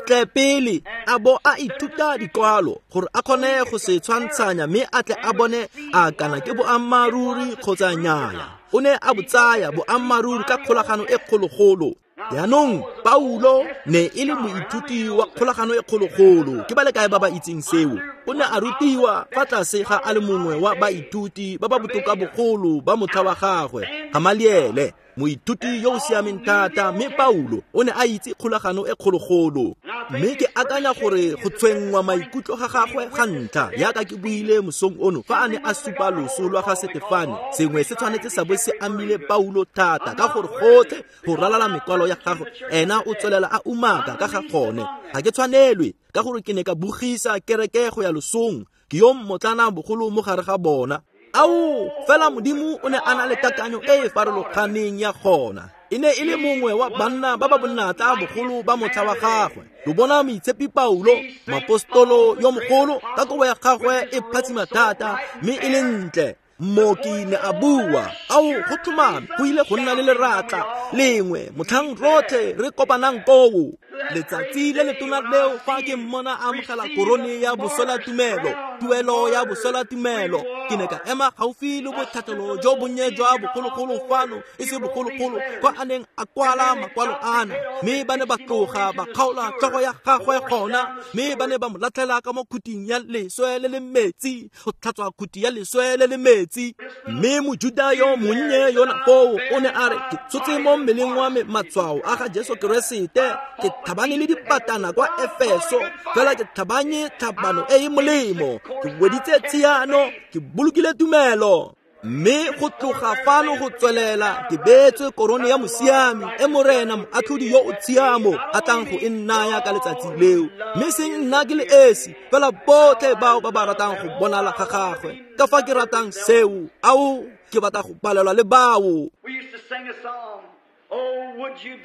Tle pele a bo a ithuta dikwalo gore a kgone go se tshwantshanya mme a tle a bone a kana ke boammaaruri kgotsa nnyaya. O ne a botsaya boammaaruri ka kgolagano e kgologolo. Jaanong Paulo ne e le moithuti wa kgolagano e kgologolo. Ke ba le kae ba ba itseng seo? O ne a rutiwa fa tlase ga a le mongwe wa baithuti ba ba botoka bogolo ba motlha wa gagwe, Gamaliele, moithuti yo o siameng thata, mme Paulo o ne a itse kgolagano e kgologolo. Mme ke akanya gore go tshwenngwa maikutlo ga gagwe ga ntlha, yaka ke buile mosong ono fa a ne a supa loso lwa ga Setefane, sengwe se tshwanetse sa bo se amile Paulo thata, ka gore gotlhe go ralala mekwalo ya gagwe ena o tswelela a umaka ka ga gone. Ga ke tshwanelwe, ka gore ke ne ka bogisa kereke go ya losong, ke yo mmotlana bogolo mo gare ga bona. Ao, fela Modimo o ne a na le kakanyo e e farologaneng ya gona. E ne e le mongwe wa banna ba ba bonatla bogolo ba motlha wa gagwe. Lo bona moitshepi Paulo, moapostolo yo mogolo, ka kobo ya gagwe e phatsima thata mme e le ntle. Mmoki ne a bua, ao, go tlhomame go ile go nna le leratla lengwe motlhang rotlhe re kopanang koo. Letsatsi le letona leo fa ke mmona a amogela korone ya boswelatumelo, tuelo ya boswelatumelo, ke ne ka ema gaufi le botlhatlhelo jo bonnye jwa bogologolo fano, e se bogologolo, kwa a neng a kwala makwalo ana, mme ba ne ba tloga ba kgaola tlhogo ya gagwe gona, mme ba ne ba mo latlhela ka mo khuting ya leswe le le metsi, go tlhatswa khuti ya leswe le le metsi. Mme Mojuda yo monnye yona foo o ne a re, ke tshotse mo mmeleng wa me matshwao a ga Jesu Keresete, ke tlhabane le dipatana kwa Efeso, fela ke tlhabanye tlhabano e e molemo, ke weditse tshiano, ke bolokile tumelo. Mme go tloga fano go tswelela ke beetswe korone ya mosiami e Morena moatlhodi yo o tshiamo a tlang go e nnaya ka letsatsi leo, mme seng nna ke le esi, fela botlhe bao ba ba ratang go bonala ga gagwe. Ka fa ke ratang seo, ao, ke batla go balelwa le bao.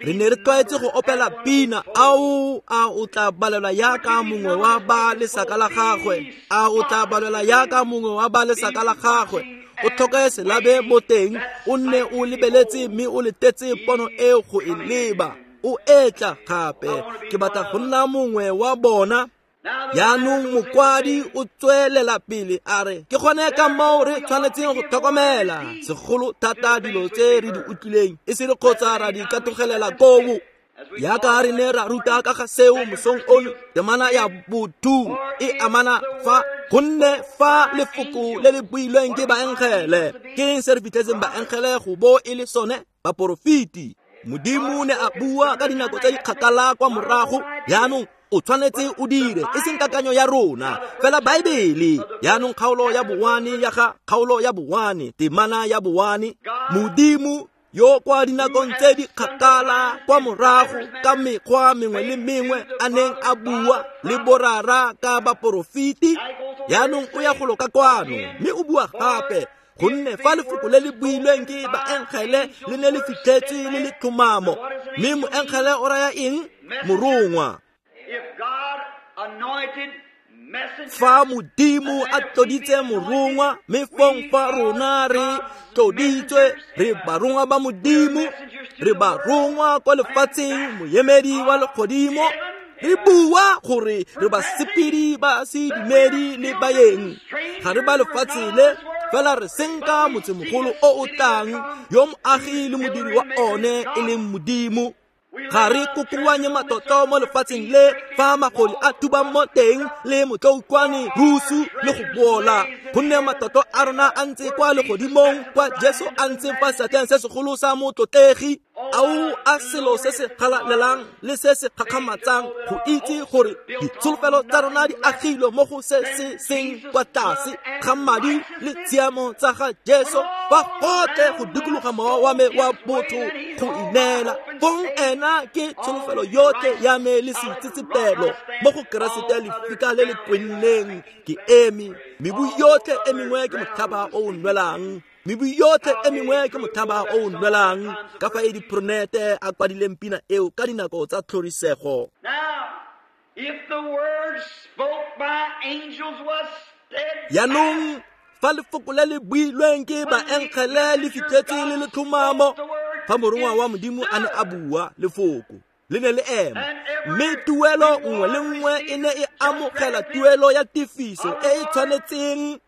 Re ne re tlwaetse go opela pina, ao, a o tla balelwa yaka mongwe wa ba lesaka la gagwe, a o tla balelwa yaka mongwe wa ba lesaka la gagwe. O tlhoke selabe mo teng, o nne o lebeletse mme o letetse pono eo go e leba. O etla gape, ke batla go nna mongwe wa bona. Jaanong mokwadi o tswelela pele a re, ke gone ka moo re tshwanetseng go tlhokomela segolo thata dilo tse re di utlwileng, e se re kgotsa ra di katogelela koo. Yaka re ne ra ruta ka ga seo mosong ono, temana ya botho e amana fa, gonne fa lefoko le le builweng ke baengele, ke eng se re fitlhetseng baengele go bo e le sone? Baporofeti. Modimo ne a bua ka dinako tse di kgakala kwa morago. Jaanong o tshwanetse o dire, e seng kakanyo ya rona, fela Baebele. Jaanong kgaolo ya bowane ya ga kgaolo ya bowane, temana ya bowane, Modimo yo kwa dinakong tse di kgakala kwa morago ka mekgwa mengwe le mengwe a neng a bua le borara ka baporofeti, jaanong o ya golo ka kwano mme o bua gape, gonne fa lefoko le le builweng ke baengele le ne le fitlhetswe le le tlhomamo. Mme moengele o raya eng? Morongwa. Fa Modimo a tloditse morongwa, mme fong fa rona re tloditswe, re barongwa ba Modimo, re barongwa kwa lefatsheng, moemedi wa legodimo, re bua gore re basepedi ba sedumedi le baeng, ga re ba lefatshe le, fela re senka motsemogolo o o tlang, yo moagi le modiri wa one e leng Modimo. Ga re kokoanye matlotlo mo lefatsheng le fa magodi a thubang mo teng le motloukwane rusu le go bola, gonne matlotlo a rona a ntse kwa legodimong, kwa Jesu a ntseng fa seatleng se segolo sa motlotlegi. Ao a selo se se galalelang le se se gakgamatsang go itse gore ditsholofelo tsa rona di agilwe mo go se se seng kwa tlase ga madi le tshiamo tsa ga Jesu, fa gotlhe go dikologa mowa wa me wa botho go ineela. Fong ena ke tsholofelo yotlhe ya me le seitsetsepelo mo go Keresete, lefika le le kwenneng ke eme, mebu yotlhe e mengwe ke motlhaba o o nwelang. Mebu yotlhe e mengwe ke motlhaba o o nwelang. Ka fa e dipronete a kwadileng pina eo ka dinako tsa tlhorisego. Jaanong fa lefoko le le builweng ke baengele le fitlhetswe le le tlhomamo, fa morongwa wa Modimo a ne a bua lefoko, le ne le ema, mme tuelo nngwe le nngwe e ne e amogela tuelo ya tefiso e e tshwanetseng.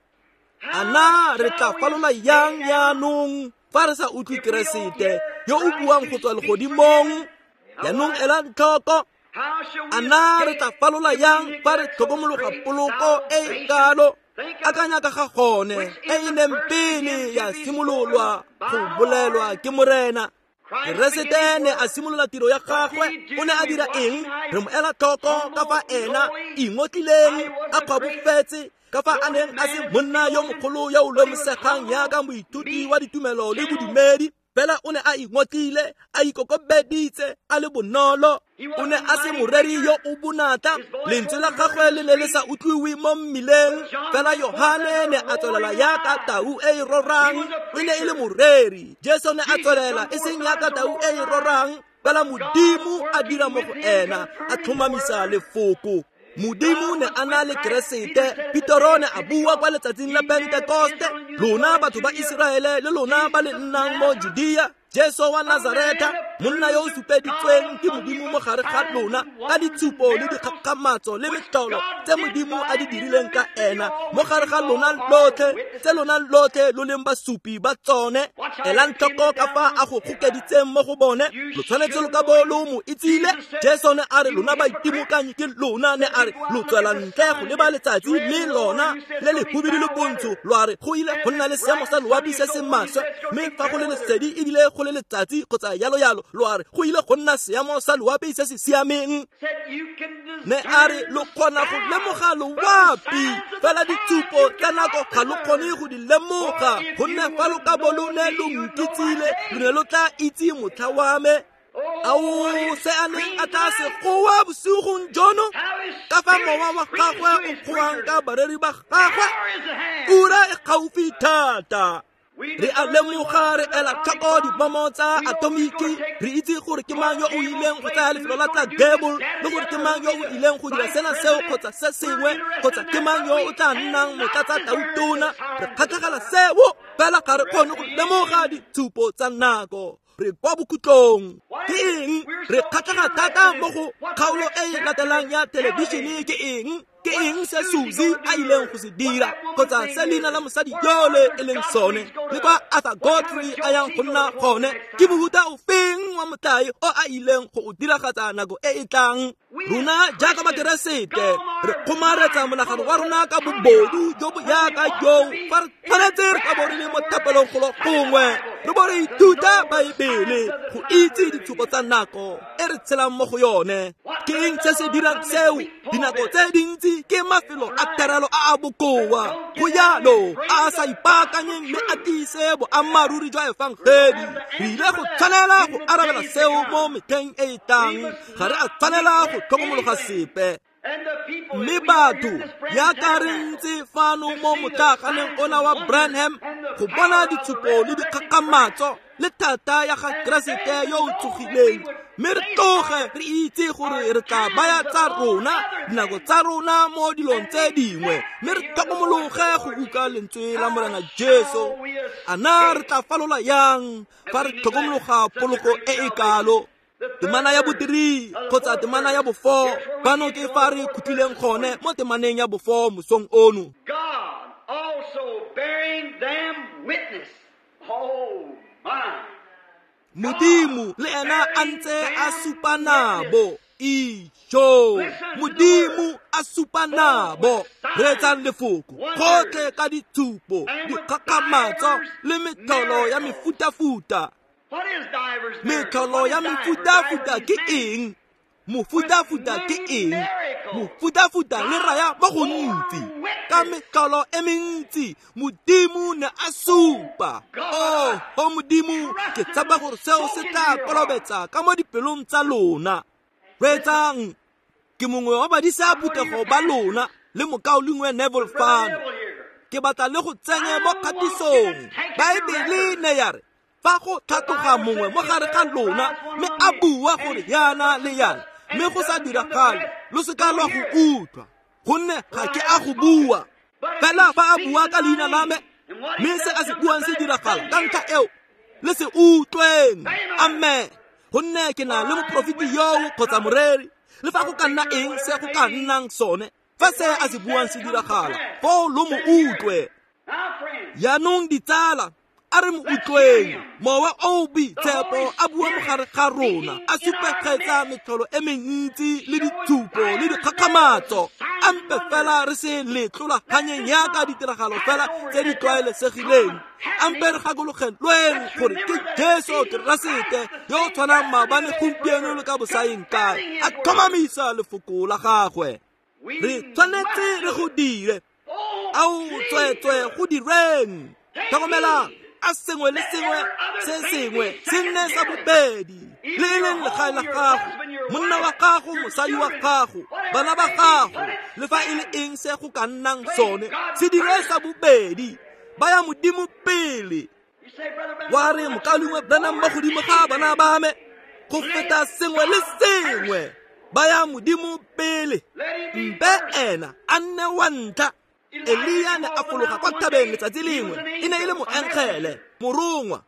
A na re tla falola yang jaanong fa re sa utlwe Keresete yo o buang go tswa legodimong? Jaanong elang tlhoko. A na re tla falola yang fa re tlhokomologa poloko e e kalo? Akanya ka ga gone e e neng pele ya simololwa go bolelwa ke Morena. Keresete ne a simolola tiro ya gagwe. O ne a dira eng? Re mo ela tlhoko ka fa ena ingotlileng a kgwabofetse, ka fa a neng a se monna yo mogolo yo o lemosegang yaka moithuti wa ditumelo le bodumedi. Fela o ne a ingotlile, a ikokobeditse, a le bonolo. O ne a se moreri yo o bonatla, lentswe la gagwe le ne le sa utlwiwe mo mmileng. Fela Yohane ne a tswelela yaka tau e e rorang. E ne e le moreri. Jesu ne a tswelela e seng yaka tau e e rorang, fela Modimo a dira mo go ena, a tlhomamisa lefoko. Modimo ne a na le Keresete. Petero ne a bua kwa letsatsing la Pentekoste, lona batho ba Iseraele le lona ba le nnang mo Judea, Jesu wa Nazareta, monna yo o supeditsweng ke Modimo mo gare ga lona ka ditshupo le dikgakgamatso le metlholo tse Modimo a di dirileng ka ena mo gare ga lona lotlhe, tse lona lotlhe lo leng basupi ba tsone. Elang tlhoko ka fa a go gokeditseng mo go bone. Lo tshwanetse lo ka bo lo mo itsile. Jesu ne a re lona baitimokanyi ke lona, ne a re lo tswela ntle go leba letsatsi, mme lona le le hubidu le bontsho lo a re go ile go nna le seemo sa loapi se se maswe, mme fa go le lesedi ebile go le letsatsi kgotsa yalo yalo, lo a re go ile go nna seemo sa loapi se se siameng. Ne a re lo kgona go lemoga loapi, fela ditshupo tsa nako ga lo kgone go di lemoga, gonne fa lo ka bo lo ne lo nkitsile, lo ne lo tla itse motlha wa me. Ao, se a neng a tla se goa bosigong jono, ka fa mowa wa gagwe o goang ka bareri ba gagwe. Ura e gaufi thata. Re a lemoga, re ela tlhoko dibomo tsa atomiki, re itse gore ke mang yo o ileng go tsaya lefelo la tla Gable, le gore ke mang yo o ileng go dira sena seo kgotsa se sengwe, kgotsa ke mang yo o tla nnang motlatsa tautona. Re kgatlhegela seo, fela ga re kgone go lemoga ditshupo tsa nako. Re kwa bokhutlong. Ke eng re kgatlhega thata mo go kgaolo e e latelang ya thelebišene? Ke eng? Ke eng se Susie a ileng go se dira, kgotsa se leina la mosadi yole e leng sone, le kwa Arthur Godfrey a yang go nna gone? Ke mohuta ofeng wa motlae o a ileng go o diragatsa nako e e tlang? Rona jaaka Bakeresete re kgomaretsa monagano wa rona ka bobodu jo bo yaka joo, fa re tshwanetse re ka bo re le mo thapelong golo gongwe, re bo re ithuta Baebele go itse ditshupo tsa nako e re tshelang mo go yone. Ke eng se se dirang seo? Dinako tse dintsi ke mafelo a terelo a a bokoa, go yalo a a sa ipaakanyeng mme a tiise boammaaruri jwa efangedi. Re ile go tshwanela go arabela seo mo metlheng e e tlang. Ga re a tshwanela go tlhokomologa sepe. Mme batho yaka re ntse fano mo motlaganeng ona wa Branham go bona ditshupo le dikgakgamatso le thata ya ga Keresete yo o tsogileng, mme re tloge re itse gore re tla baya tsa rona dinako tsa rona mo dilong tse dingwe, mme re tlhokomologe go utlwa lentswe la Morena Jesu. A na re tla falola yang fa re tlhokomologa poloko e e kalo? Temana ya bo-3 kgotsa temana ya bo-4, fano ke fa re khutlileng gone mo temaneng ya bo-4 mosong ono. God also bearing them witness. Oh my. Modimo le ena a ntse a supa nabo. Ijo, Modimo a supa nabo. Reetsang lefoko gotlhe ka ditshupo, dikgakgamatso le metlholo ya mefutafuta. Metlholo ya mefutafuta ke eng? Mofutafuta ke eng? Mofutafuta le raya mo gontsi. Ka metlholo e mentsi Modimo ne a supa. Oh, Modimo, ke tshaba gore seo se tla kolobetsa ka mo dipelong tsa lona. Reetsang, ke mongwe wa badisa phuthego ba lona le mokaulengwe Neville fano. Ke batla le go tsenye mo kgatisong. Baebele ne ya re fa go tlhatloga mongwe mo gare ga lona mme a bua gore yana le yana, mme go sa diragale, lo se ka lwa go utlwa, gonne ga ke a go bua. Fela fa a bua ka leina la me, mme se a se buang se diragala, ka ntlha eo le se utlweng. Amen. Gonne ke na le moprofeti yoo kgotsa moreri, le fa go ka nna eng se go ka nnang sone, fa se a se buang se diragala, foo lo mo utlwe. Jaanong ditsala, a re mo utlweng. Mowa o o boitshepo a bua mogare ga rona, a supegetsa metlholo e mentsi le ditshupo le dikgakgamatso. A mpe fela re se letlolaganyeng yaka ditiragalo fela tse di tlwaelesegileng. A mpe re gakologelweng gore ke Jesu Keresete yo o tshwanang maabane, gompieno le ka bosaeng kae, a tlhomamisa lefoko la gagwe. Re tshwanetse re go dire. Ao tsweetswe go direng. Tlhokomelang, a sengwe le sengwe se sengwe se nne sa bobedi, le e leng legae la gago, monna wa gago, mosadi wa gago, bana ba gago, le fa e le eng se go ka nnang sone, se dire sa bobedi. Baya Modimo pele. Wa re, mokaulengwe Branham, mo godimo ga bana ba me, go feta sengwe le sengwe, baya Modimo pele. Mpe ena a nne wa ntlha. Elia ne a fologa kwa thabeng letsatsi lengwe, e ne e le moengele, morongwa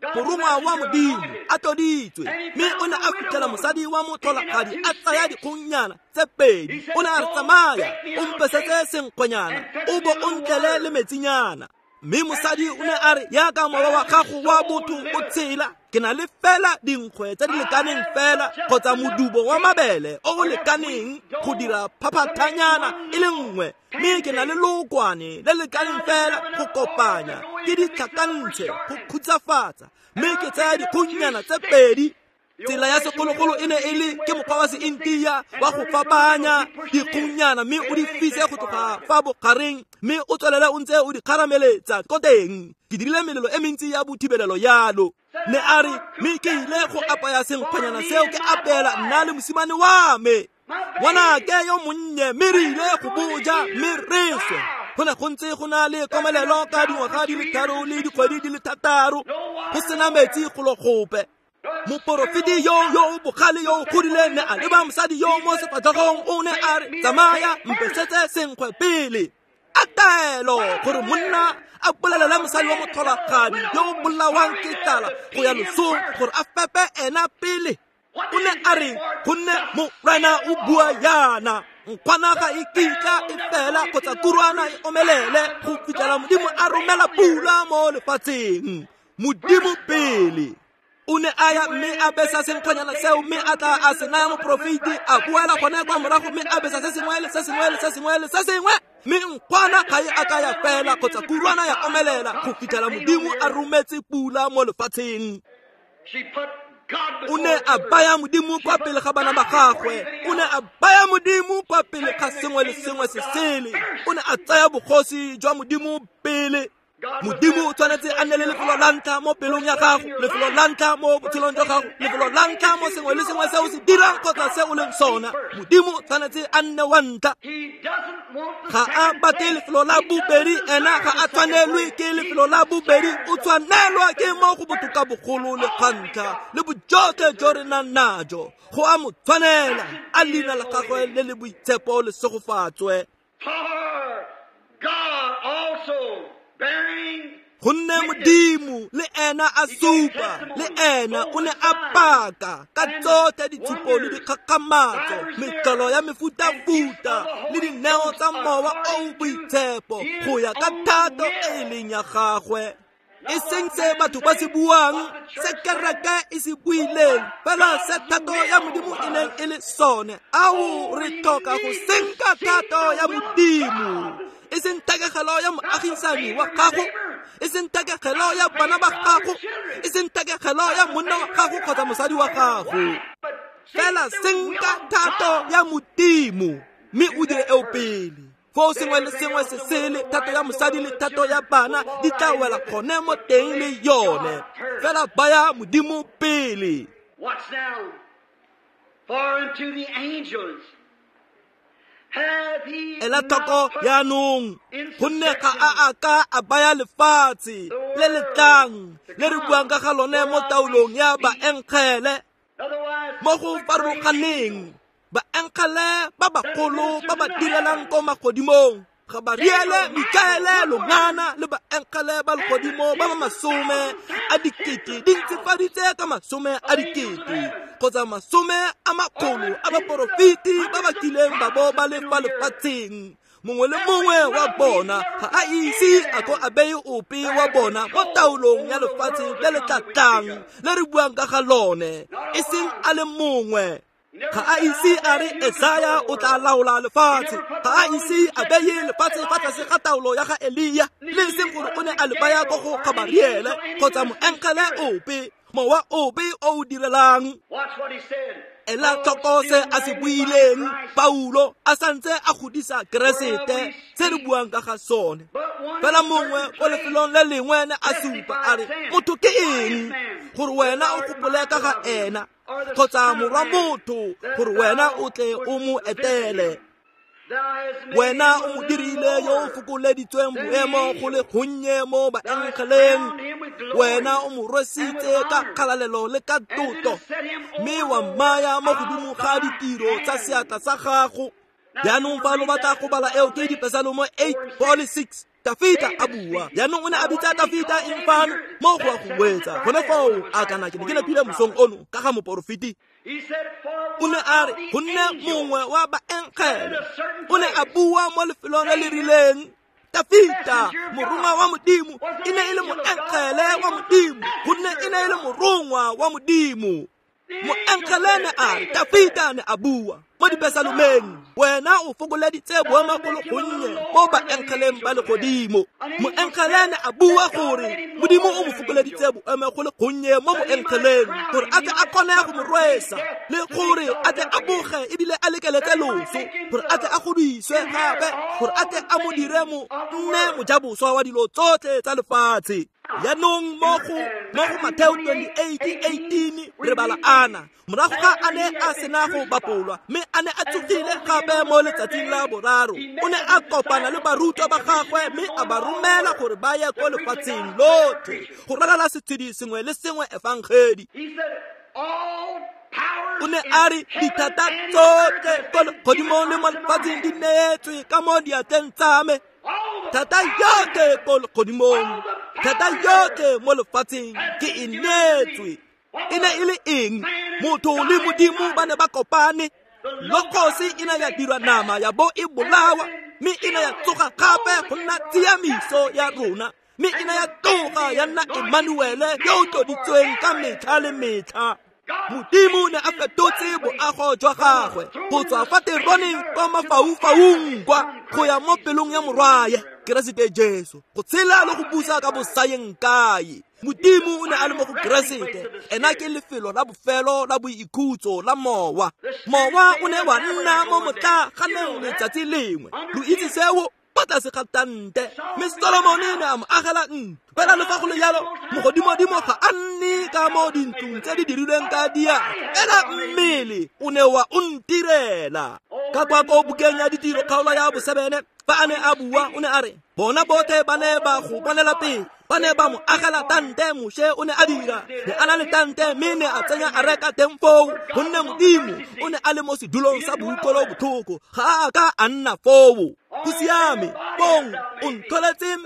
wa Modimo, a tloditswe. Mme o ne a fitlhela mosadi wa motlholagadi a tsaya dikgongnyana tse pedi. O ne a re, tsamaya o mpesetse senkgwenyana, o bo o ntlele le metsinyana. Mme mosadi o ne a re, yaka mowa wa gago wa botho o tshela, ke na le fela dinkgwe tse di lekaneng fela, kgotsa modubo wa mabele o o lekaneng go dira phaphathanyana e le nngwe, mme ke na le lookwane le lekaneng fela go kopanya ke ditlhakantshe go khutsafatsa, mme ke tsaya dikgongnyana tse pedi. Tsela ya segologolo e ne e le ke mokgwa wa seintia wa go fapanya dikgongnyana, mme o di fise go tloga fa bogareng, mme o tswelele o ntse o di kgarameletsa ko teng. Ke dirile melelo e mentsi ya bothibelelo yalo. Ne a re, mme ke ile go apaya senkgwanyana seo ke apeela nna le mosimane wa me, ngwanake yo monnye, mme re ile go boja mme re swe. Go ne go ntse go na le komelelo ka dingwaga di le 3 le dikgwedi di le 6, go sena metsi golo gope. Moporofeti yo yo bogale yo o godileng ne a leba mosadi yo mo sefatlhegong, o ne a re, tsamaya mpesetse senkgwe pele. A taelo gore monna a bolelele mosadi wa motlholagadi yo o bolawang ke tlala go ya losong gore a fepe ena pele. O ne a re, gonne Morena o bua yana, nkgwana ga e kitla e fela kgotsa kurwana e omelele go fitlhela Modimo a romela pula mo lefatsheng. Modimo pele. O ne a ya mme a besa senkgwanyana seo, mme a tla a se naya moprofeti, a boela gone kwa morago mme a besa se sengwe le se sengwe le se sengwe le se sengwe, mme nkgwana ga e a ka ya fela kgotsa kurwana ya omelela go fitlhela Modimo a rometse pula mo lefatsheng. O ne a baya Modimo kwa pele ga bana ba gagwe, o ne a baya Modimo kwa pele ga sengwe le sengwe se sele, o ne a tsaya bogosi jwa Modimo pele. Modimo o tshwanetse a nne le lefelo la ntlha mo pelong ya gago, lefelo la ntlha mo botshelong jwa gago, lefelo la ntlha mo sengwe le sengwe se o se dirang kgotsa se o leng sona. Modimo o tshwanetse a nne wa ntlha. Ga a batle lefelo la bobedi, ena ga a tshwanelwe ke lefelo la bobedi, o tshwanelwa ke mo go botoka bogolo le ga ntlha le bojotlhe jo re nang najo. Go a mo tshwanela, a leina la gagwe le le boitshepo le segofatswe. Gonne Modimo le ena a supa, le ena o ne a paka ka tsotlhe ditshupo le dikgakgamatso, metlholo ya mefutafuta le dineo tsa mowa o o boitshepo go ya ka thato e e leng ya gagwe. E seng se batho ba se buang, se kereke e se buileng, fela se thato ya Modimo e neng e le sone. Ao, re tlhoka go senka thato ya Modimo, e seng thekegelo ya moagisani wa gago, e seng thekegelo ya bana ba gago, e seng thekegelo ya monna wa gago kgotsa mosadi wa gago, fela senka thato ya Modimo mme o dire eo pele. Foo sengwe le sengwe se sele, thato ya mosadi le thato ya bana di tla wela gone mo teng le yone. Fela baya Modimo pele. Watch now, for unto the angels Ela tlhoko jaanong, gonne ga a a ka a baya lefatshe le le tlang le re buang ka ga lone mo taolong ya baengele. Mo go farologaneng, baengele ba bagolo ba ba direlang ko magodimong, Gabariele, Mikaele, Longana le baengele ba legodimo ba ba 100,000 di ntsifaditse ka 100,000 kgotsa 100 a baporofeti ba ba kileng ba bo ba le fa lefatsheng, mongwe le mongwe wa bona ga a ise a ko a beye ope wa bona mo taolong ya lefatshe le le tla tlang le re buang ka ga lone, e seng a le mongwe. Ga a ise a re Esaya o tla laola lefatshe, ga a ise a beye lefatshe fa tlase ga taolo ya ga Elia, le seng gore o ne a le baya ko go Gabariele kgotsa moengele ope, mowa ope o o direlang. Ela tlhoko se a se buileng Paulo a santse a godisa Keresete, se re buang ka ga sone. Fela mongwe ko lefelong le lengwe ne a supa a re, motho ke eng gore wena o gopole ka ga ena, kgotsa morwa motho gore wena o tle o mo etele? Wena o mo dirile yo o fokoleditsweng boemo go le gonnye mo baengeleng, wena o mo rwesitse ka kgalalelo le ka tlotlo, mme wa mmaya mo godimo ga ditiro tsa seatla sa gago. Jaanong fa lo batla go bala eo ke Dipesalome 8, 4 le 6. Tafita a bua. Jaanong o ne a bitsa Tafita eng fano mo go a go wetsa gone foo? A kana ke ne ke nepile mosong ono ka ga moporofeti. O ne a re go nne mongwe wa baengele o ne a bua mo lefelong le le rileng. Tafita morongwa wa Modimo e ne e le moengele wa Modimo, gonne e ne e le morongwa wa Modimo. Moengele ne a re, Tafita ne a bua mo Dipesalomeng, wena o fokoleditse boemo go le gonnye mo baengeleng ba legodimo. Moengele ne a bua gore Modimo o mo fokoleditse boemo go le gonnye mo moengeleng, gore a tle a kgone go mo rwesa, le gore a tle a boge ebile a lekeletse loso, gore a tle a godiswe gape, gore a tle a mo dire mo nne mojaboswa wa dilo tsotlhe tsa lefatshe. Jaanong mo go Mateo 28:18 re bala ana, morago ga a ne a sena go bapolwa mme a ne a tsogile gape mo letsatsing la boraro, o ne a kopana le barutwa ba gagwe mme a ba romela gore ba ye ko lefatsheng lotlhe go ralala setshedi sengwe le sengwe efangedi. O ne a re dithata tsotlhe ko legodimong le mo lefatsheng di neetswe ka mo diatleng tsa me. Thata yotlhe ko legodimong, thata yotlhe mo lefatsheng ke e neetswe. E ne e le eng? Motho le Modimo ba ne ba kopane. Logosi e ne ya dirwa nama ya bo e bolawa, mme e ne ya tsoga gape go nna tshiamiso ya rona, mme e ne ya tloga ya nna Emmanuele yo o tloditsweng ka metlha le metlha. Modimo ne a fetotse boago jwa gagwe go tswa fa teroneng kwa mafaufaung kwa go ya mo pelong ya morwaye Keresete Jesu, go tshela le go busa ka bosayeng kae. Modimo o ne a le mo go Keresete, ena ke lefelo la bofelo la boikhutso la mowa. Mowa o ne wa nna mo motlaganeng letsatsi lengwe, lo itse seo, kwa tlase ga tante, mme Solomone ne a mo agela ntlo. Fela le fa go le jalo, mogodimodimo ga a nne ka mo dintlong tse di dirilweng ka diatla, fela mmele o ne wa o ntirela. Ka kwa ko bukeng ya Ditiro kgaolo ya bo7, fa a ne a bua o ne a re, bona botlhe ba ne ba go bonela pele, ba ne ba mo agela tante. Moshe o ne a dira, ne a na le tante, mme ne a tsenya areka teng foo, gonne Modimo o ne a le mo sedulong sa boutlwelo botlhoko, ga a ka a nna foo. Go siame, bong o ntholetse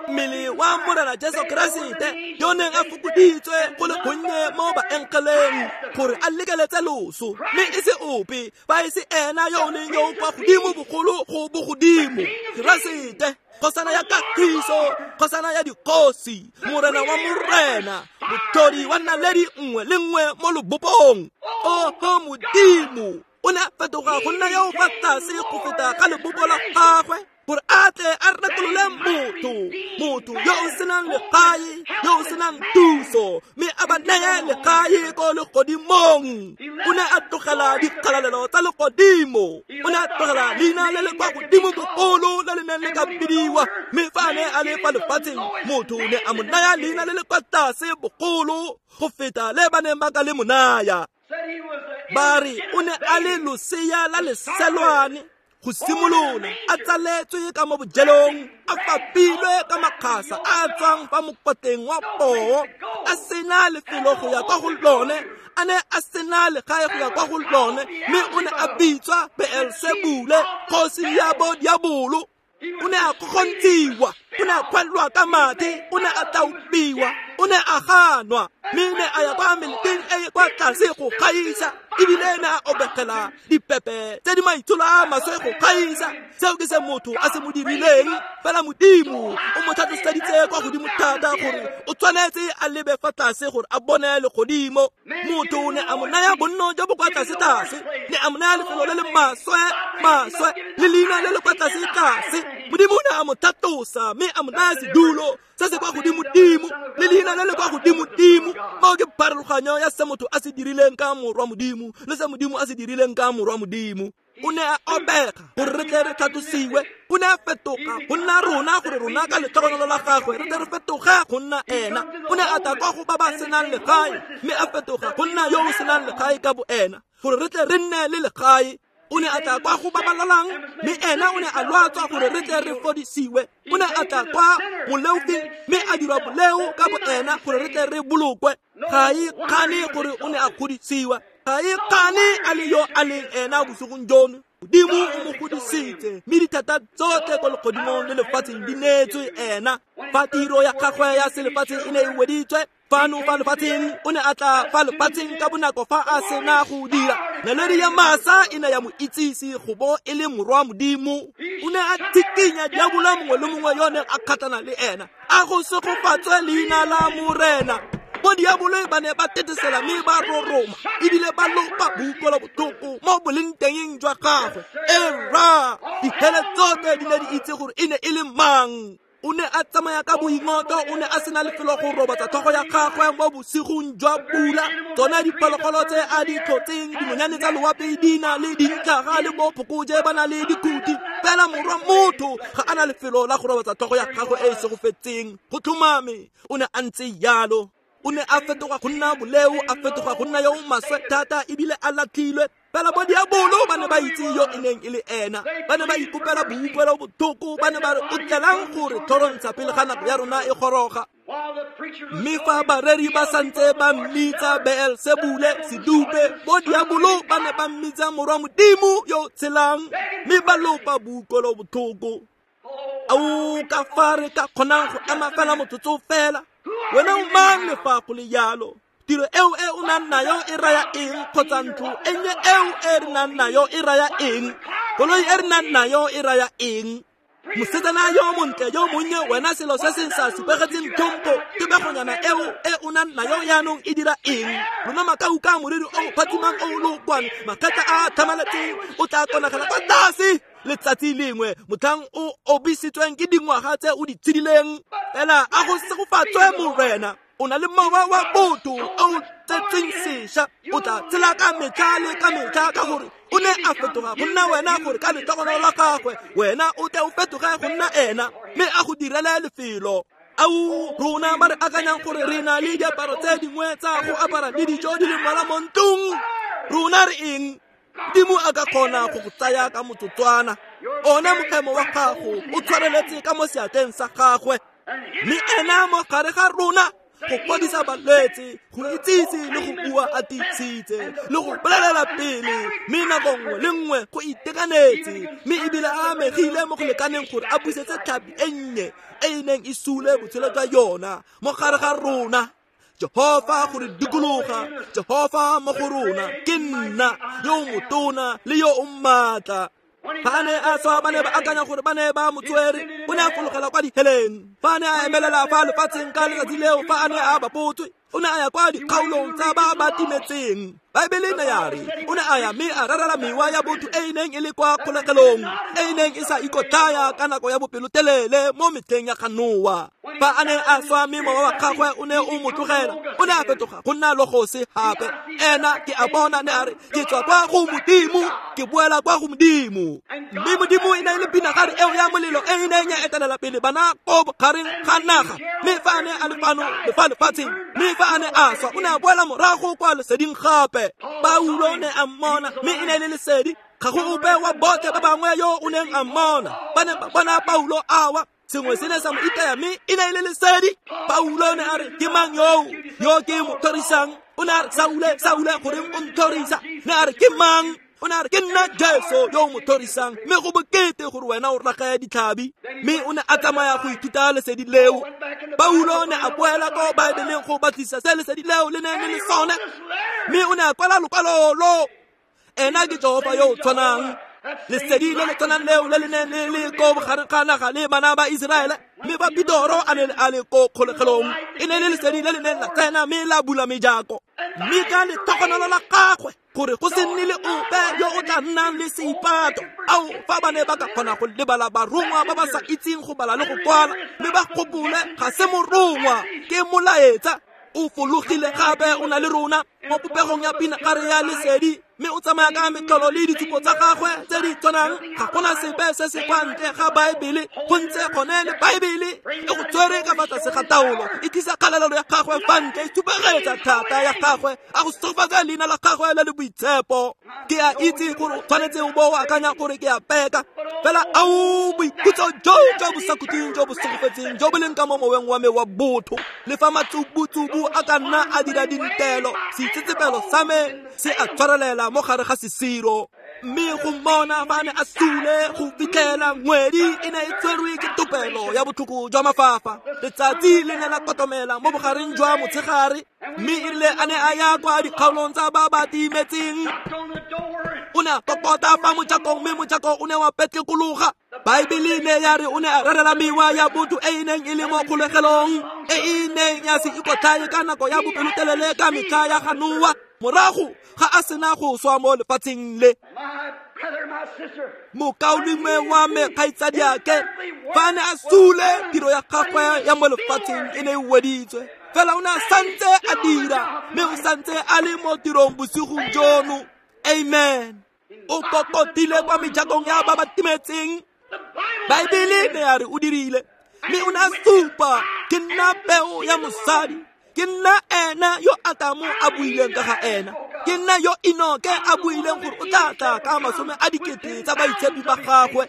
mmele wa Morena Jesu Keresete yo neng a fokoditswe go le gonnye mo baengeleng gore a lekeletse loso, mme e se ope fa e se ena yo o leng yo kwa godimo bogolo go bogodimo, Keresete, kgosana ya kagiso, kgosana ya dikgosi, morena wa morena, motlhodi wa naledi nngwe le nngwe mo lobopong. Oho Modimo, o ne a fetoga go nna yo fa tlase go feta ga lebopo la gagwe, gore a tle a rekolole motho, motho yo o senang legae, yo o senang thuso, mme a ba neye legae ko legodimong. O ne a tlogela dikgalalelo tsa legodimo, o ne a tlogela leina le le kwa godimo bogolo le le neng le ka bidiwa, mme fa a ne a le fa lefatsheng, motho ne a mo naya leina le le kwa tlase bogolo go feta le ba neng ba ka le mo naya. Ba re o ne a le losea la leselwane go simolola, a tsaletswe ka mo bojelong, a fapilwe ka makgasa a tswang fa mokotleng wa poo, a sena lefelo go ya kwa go lone, a ne a sena legae go ya kwa go lone, mme o ne a bitswa Beelsebule, kgosi ya bodiabolo. O ne a kgokgontshiwa, o ne a kgwelwa ka mathe, o ne a tlaopiwa, O ne a ganwa, mme ne a ya kwa meleteng e e kwa tlase go gaisa, ebile ne a obegela dipepe tse di maitsholo a maswe go gaisa. Seo ke se motho a se mo dirileng, fela Modimo o mo tlhatloseditse kwa godimo thata gore o tshwanetse a lebe fa tlase gore a bone legodimo. Motho ne a mo naya bonno jo bo kwa tlase-tlase, ne a mo naya lefelo le le maswe-maswe le leina le le kwa tlase-tlase. Modimo ne a mo tlhatlosa mme a mo naya sedulo se se kwa godimo-dimo le leina le le kwa godimo-dimo. Moo ke pharologanyo ya se motho a se dirileng ka morwa Modimo le se Modimo a se dirileng ka morwa Modimo. O ne a obega gore re tle re tlhatlosiwe, o ne a fetoga go nna rona gore rona ka letlhogonolo la gagwe re tle re fetoge go nna ena. O ne a tla kwa go ba ba senang legae, mme a fetoga go nna yo o senang legae ka bo ena gore re tle re nne le legae. O ne a tla kwa go ba ba lwalang, mme ena o ne a lwatswa gore re tle re fodisiwe. O ne a tla kwa moleofing, mme a dirwa boleo ka bo ena gore re tle re bolokwe. Ga e kgane gore o ne a godisiwa, ga e kgane a le yo a leng ena bosigong jono. Modimo o mo godisitse, mme dithata tsotlhe ko legodimong le lefatsheng di neetswe ena. Fa tiro ya gagwe ya selefatshe e ne e weditswe fano fa lefatsheng, o ne a tla fa lefatsheng ka bonako fa a sena go dira. Naledi ya masa e ne ya mo itsise go bo e le morwa Modimo. O ne a thikinya diabolo mongwe le mongwe yo neng a kgatlhana le ena. A go segofatswe leina la Morena. Bo diabolo ba ne ba tetesela mme ba roroma, ebile ba lopa boutlwelo botlhoko mo boleng tengeng jwa gagwe. Era, dithele tsotlhe di ne di itse gore e ne e le mang. O ne a tsamaya ka boingotlo, o ne a sena lefelo go robatsa tlhogo ya gagwe mo bosigong jwa pula. Tsone diphologolo tse a di tlhotseng, dinonyane tsa loapi di na le dintlhaga le bo phokoje ba na le dikhuti, fela morwa motho ga a na lefelo la go robatsa tlhogo ya gagwe e e segofetseng. Go tlhomame o ne a ntse jalo. O ne a fetoga go nna boleo, a fetoga go nna yo o maswe thata, ebile a latlhilwe. Fela bo diabolo ba ne ba itse yo e neng e le ena, ba ne ba ikopela boutlwelo botlhoko, ba ne ba re o tlelang gore tlhorontsha pele ga nako ya rona e goroga. Mme fa bareri ba santse ba mmitsa Beelsebule, sedupe, bo diabolo ba ne ba mmitsa morwa Modimo yo o tshelang, mme ba lopa boutlwelo botlhoko. Ao, ka fa re ka kgonang go ema fela motsotso fela. Wena o mang le fa go le jalo? Tiro eo e o nang nayo e raya eng, kgotsa ntlo e nnye eo e re nang nayo e raya eng? Koloi e re nang nayo e raya eng? Mosetsana yo montle yo monnye, wena selo se se sa supegetseng tlhompho, tebegonyana eo e o nang nayo jaanong e dira eng? Lona makauka moriri o phatsimang o lokwane, makgetla a tlhamaletseng, o tla konagela kwa tlase letsatsi lengwe motlhang o obisitsweng ke dingwaga tse o di tshedileng. Fela a go segofatswe Morena, o na le mowa wa botho o tsetsweng sešwa, o tla tshela ka metlha le ka metlha, ka gore o ne a fetoga go nna wena gore ka letlhogonolo la gagwe wena o tle o fetoge go nna ena, mme a go direle lefelo. Ao, rona ba re akanyang gore re na le diaparo tse dingwe tsa go apara le dijo di le mmalwa mo ntlong, rona re eng? Modimo a ka kgona go go tsaya ka motsotswana. One mokgemo wa gago o tshwareletse ka mo seatleng sa gagwe, mme ena mo gare ga rona go fodisa balwetse, go itsise le go bua a tiisitse le go bolelela pele, mme nako nngwe le nngwe go itekanetse, mme ebile a amegile mo go lekaneng gore a busetse tlhapi e nnye e e neng e sule botshelo jwa yona mo gare ga rona. Jehofa go re dikologa, Jehofa mo go rona, ke nna yo motona le yo o maatla. Fa a ne a swa, ba ne ba akanya gore ba ne ba mo tswere, o ne a fologela kwa diheleng. Fa a ne a emelela fa lefatsheng ka letsatsi leo, fa a ne a bapotswe, o ne a ya kwa dikgaolong tsa ba ba timetseng. Baebele e ne ya re o ne a ya mme a rerela mewa ya botho e e neng e le kwa kgolegelong, e e neng e sa ikotlaya ka nako ya bopelotelele mo metlheng ya ga Noa. Fa a ne a swa mme mowa wa gagwe o ne o mo tlogela, o ne a fetoga go nna logose gape. Ena ke a bona ne a re, ke tswa kwa go Modimo, ke boela kwa go Modimo. Mme Modimo e ne e le pinagare eo ya molelo e e neng ya etelela pele bana ko bogareng ga naga. Mme fa a ne a le fano le fa lefatsheng, mme fa a ne a swa, o ne a boela morago kwa leseding gape. Paulo ne a mmona, mme e ne e le lesedi. Ga go ope wa botlhe ba bangwe yo o neng a mmona. Ba ne ba bona Paulo a wa, sengwe se ne sa mo itaya, mme e ne e le lesedi. Paulo ne a re, ke mang yoo yo ke mo tlhorisang? O ne a re, Saule, Saule, goreng o ntlhorisa? Ne a re, ke mang? O ne a re ke nna Jesu yo o mo thorisang, mme go bokete gore wena o ragaya ditlhabi. Mme o ne a tsamaya go ithuta lesedi leo. Paulo ne a boela ko Baebeleng go batlisa se lesedi leo le neng le le sone, mme o ne a kwala lokwalo lo. Ena ke Jehofa yo o tshwanang. Lesedi le le tshwanang leo le le neng le le ko bogareng ga naga le bana ba Iseraele, mme ba Petoro a ne a le ko kgolegelong, e ne le lesedi le le neng la tsena mme la bula mejako. Mme ka letlhogonolo la gagwe gore go se nne le ope yo o tla nnang le seipato. Ao, fa ba ne ba ka kgona go lebala barongwa ba ba sa itseng go bala le go kwala, mme ba gopole ga se morongwa, ke molaetsa. O fologile gape o na le rona mo popegong ya pinagare ya lesedi, mme o tsamaya ka metlholo le ditshupo tsa gagwe tse di tshwanang. Ga gona sepe se se kwa ntle ga Baebele, go ntse gone le Baebele e go tshwere ka fa tlase ga taolo, e tlisa kgalalelo ya gagwe fa ntle, e supegetsa thata ya gagwe, a go segofatsa leina la gagwe le le boitshepo. Ke a itse gore o tshwanetse o bo o akanya gore ke a peka, fela ao boikhutso jo jo bo sa khutleng jo bo segofetseng jo bo leng ka mo moweng wa me wa botho, le fa matsubutsubu a ka nna a dira dintelo, seitsetsepelo sa me se a tshwarelela mo gare ga sesiro. Mme go mmona fa ne a sule go fitlhela ngwedi e ne e tshwerwe ke topelo ya botlhoko jwa mafafa, letsatsi le ne la kotomela mo bogareng jwa motshegare, mme e rile a ne a ya kwa dikgaolong tsa ba ba timetseng, o ne a kokota fa mojakong, mme mojako o ne wa petlekologa. Baebele ne ya re o ne a rerela mewa ya botho e e neng e le mo kgolegelong, e e neng ya se ikotlhae ka nako ya bopelotelele ka metlha ya ga Noa, morago ga a sena go swa mo lefatsheng le. Mokaulengwe wa me, kgaitsadiake, fa ne a sule, tiro ya gagwe ya mo lefatsheng e ne e weditswe, fela o ne a santse a dira, mme o santse a le mo tirong bosigong jono. Amen. O kokotile kwa mejakong ya ba ba timetseng. Baebele ne ya re o dirile, mme o ne a supa, ke nna peo ya mosadi, ke nna ena yo Atamo a buileng ka ga ena, ke nna yo Enoke a buileng gore o tla tla ka 10 000 tsa baitshepi ba gagwe,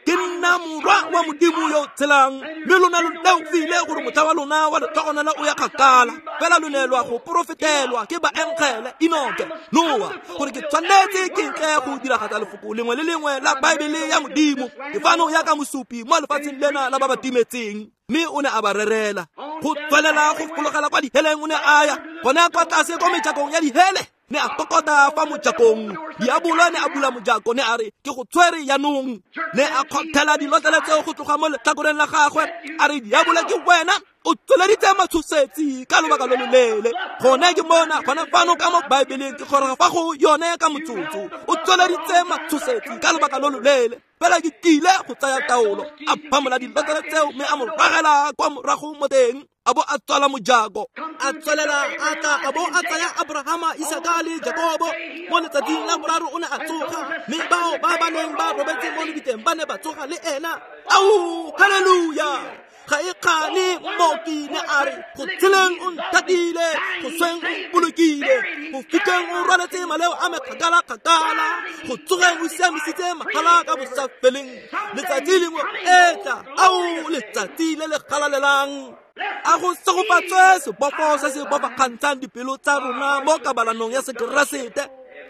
ke nna morwa wa Modimo yo tshelang, mme lona lo leofile gore motlha wa lona wa letlhogonolo o ya kgakala, fela lo ne lwa go porofetelwa ke baengele Enoke, Noa, gore ke tshwanetse ke ntle go diragatsa lefoko lengwe le lengwe la Baebele ya Modimo. Ke fano ya ka mosupi mo lefatsheng lena la ba ba timetseng. Mme o ne a ba rerela go tswelela go fologela kwa diheleng. O ne a ya gone kwa tlase ko mejakong ya dihele, ne a kokota fa mojakong. Diabolo ne a bula mojako, ne a re ke go tshwere yanong. Ne a kgothela dilotlele tseo go tloga mo letlhakoreng la gagwe, a re diabolo ke wena, o tsweleditse matshosetsi ka lobaka lo loleele. Gone ke mona gone fano ka mo Baebeleng, ke kgoroga fa go yone ka motsotso. O tsweleditse matshosetsi ka lobaka lo loleele, fela ke tlile go tsaya taolo. A phamola dilotlele tseo mme a mo ragela kwa morago mo teng, a bo a tswala mojako. A tswelela a tla a bo a tsaya Abrahama, Isaka le Jakobo. Mo letsatsing la boraro o ne a tsoga, mme bao ba ba neng ba robetse mo lebitleng ba ne ba tsoga le ena. Ao, haleluya! Ga e kgane mmoki ne a re go tsheleng o nthatile, go sweng o mpolokile, go fitlheng o rwaletse maleo a me kgakala-kgakala, go tsogeng o siamisitse magala ka bosafeleng. Letsatsi lengwe etla, ao letsatsi le le galalelang. A go segofatswe sebofo se se bofagantshang dipelo tsa rona mo kabalanong ya Sekeresete,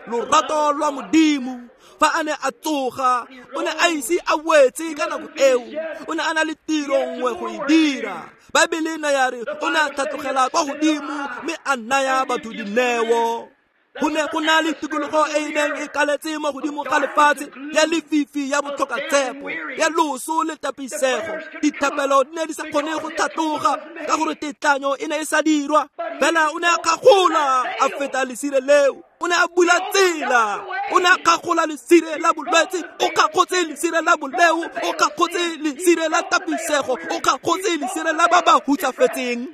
lorato lwa Modimo. Fa a ne a tsoga, o ne a ise a wetse ka nako eo, o ne a na le tiro nngwe go e dira. Baebele ne ya re o ne a tlhatlogela kwa godimo mme a naya batho dineo. Go ne go na le tikologo e e neng e kaletse mo godimo ga lefatshe, ya lefifi, ya botlhokatshepo, ya loso le tapisego. Dithapelo di ne di sa kgone go tlhatloga ka gore tetlanyo e ne e sa dirwa. Fela o ne a kgagola a feta lesire leo, o ne a bula tsela, o ne a kgagola lesire la bolwetse, o kgagotse lesire la boleo, o kgagotse lesire la tapisego, o kgagotse lesire la ba ba hutsafetseng,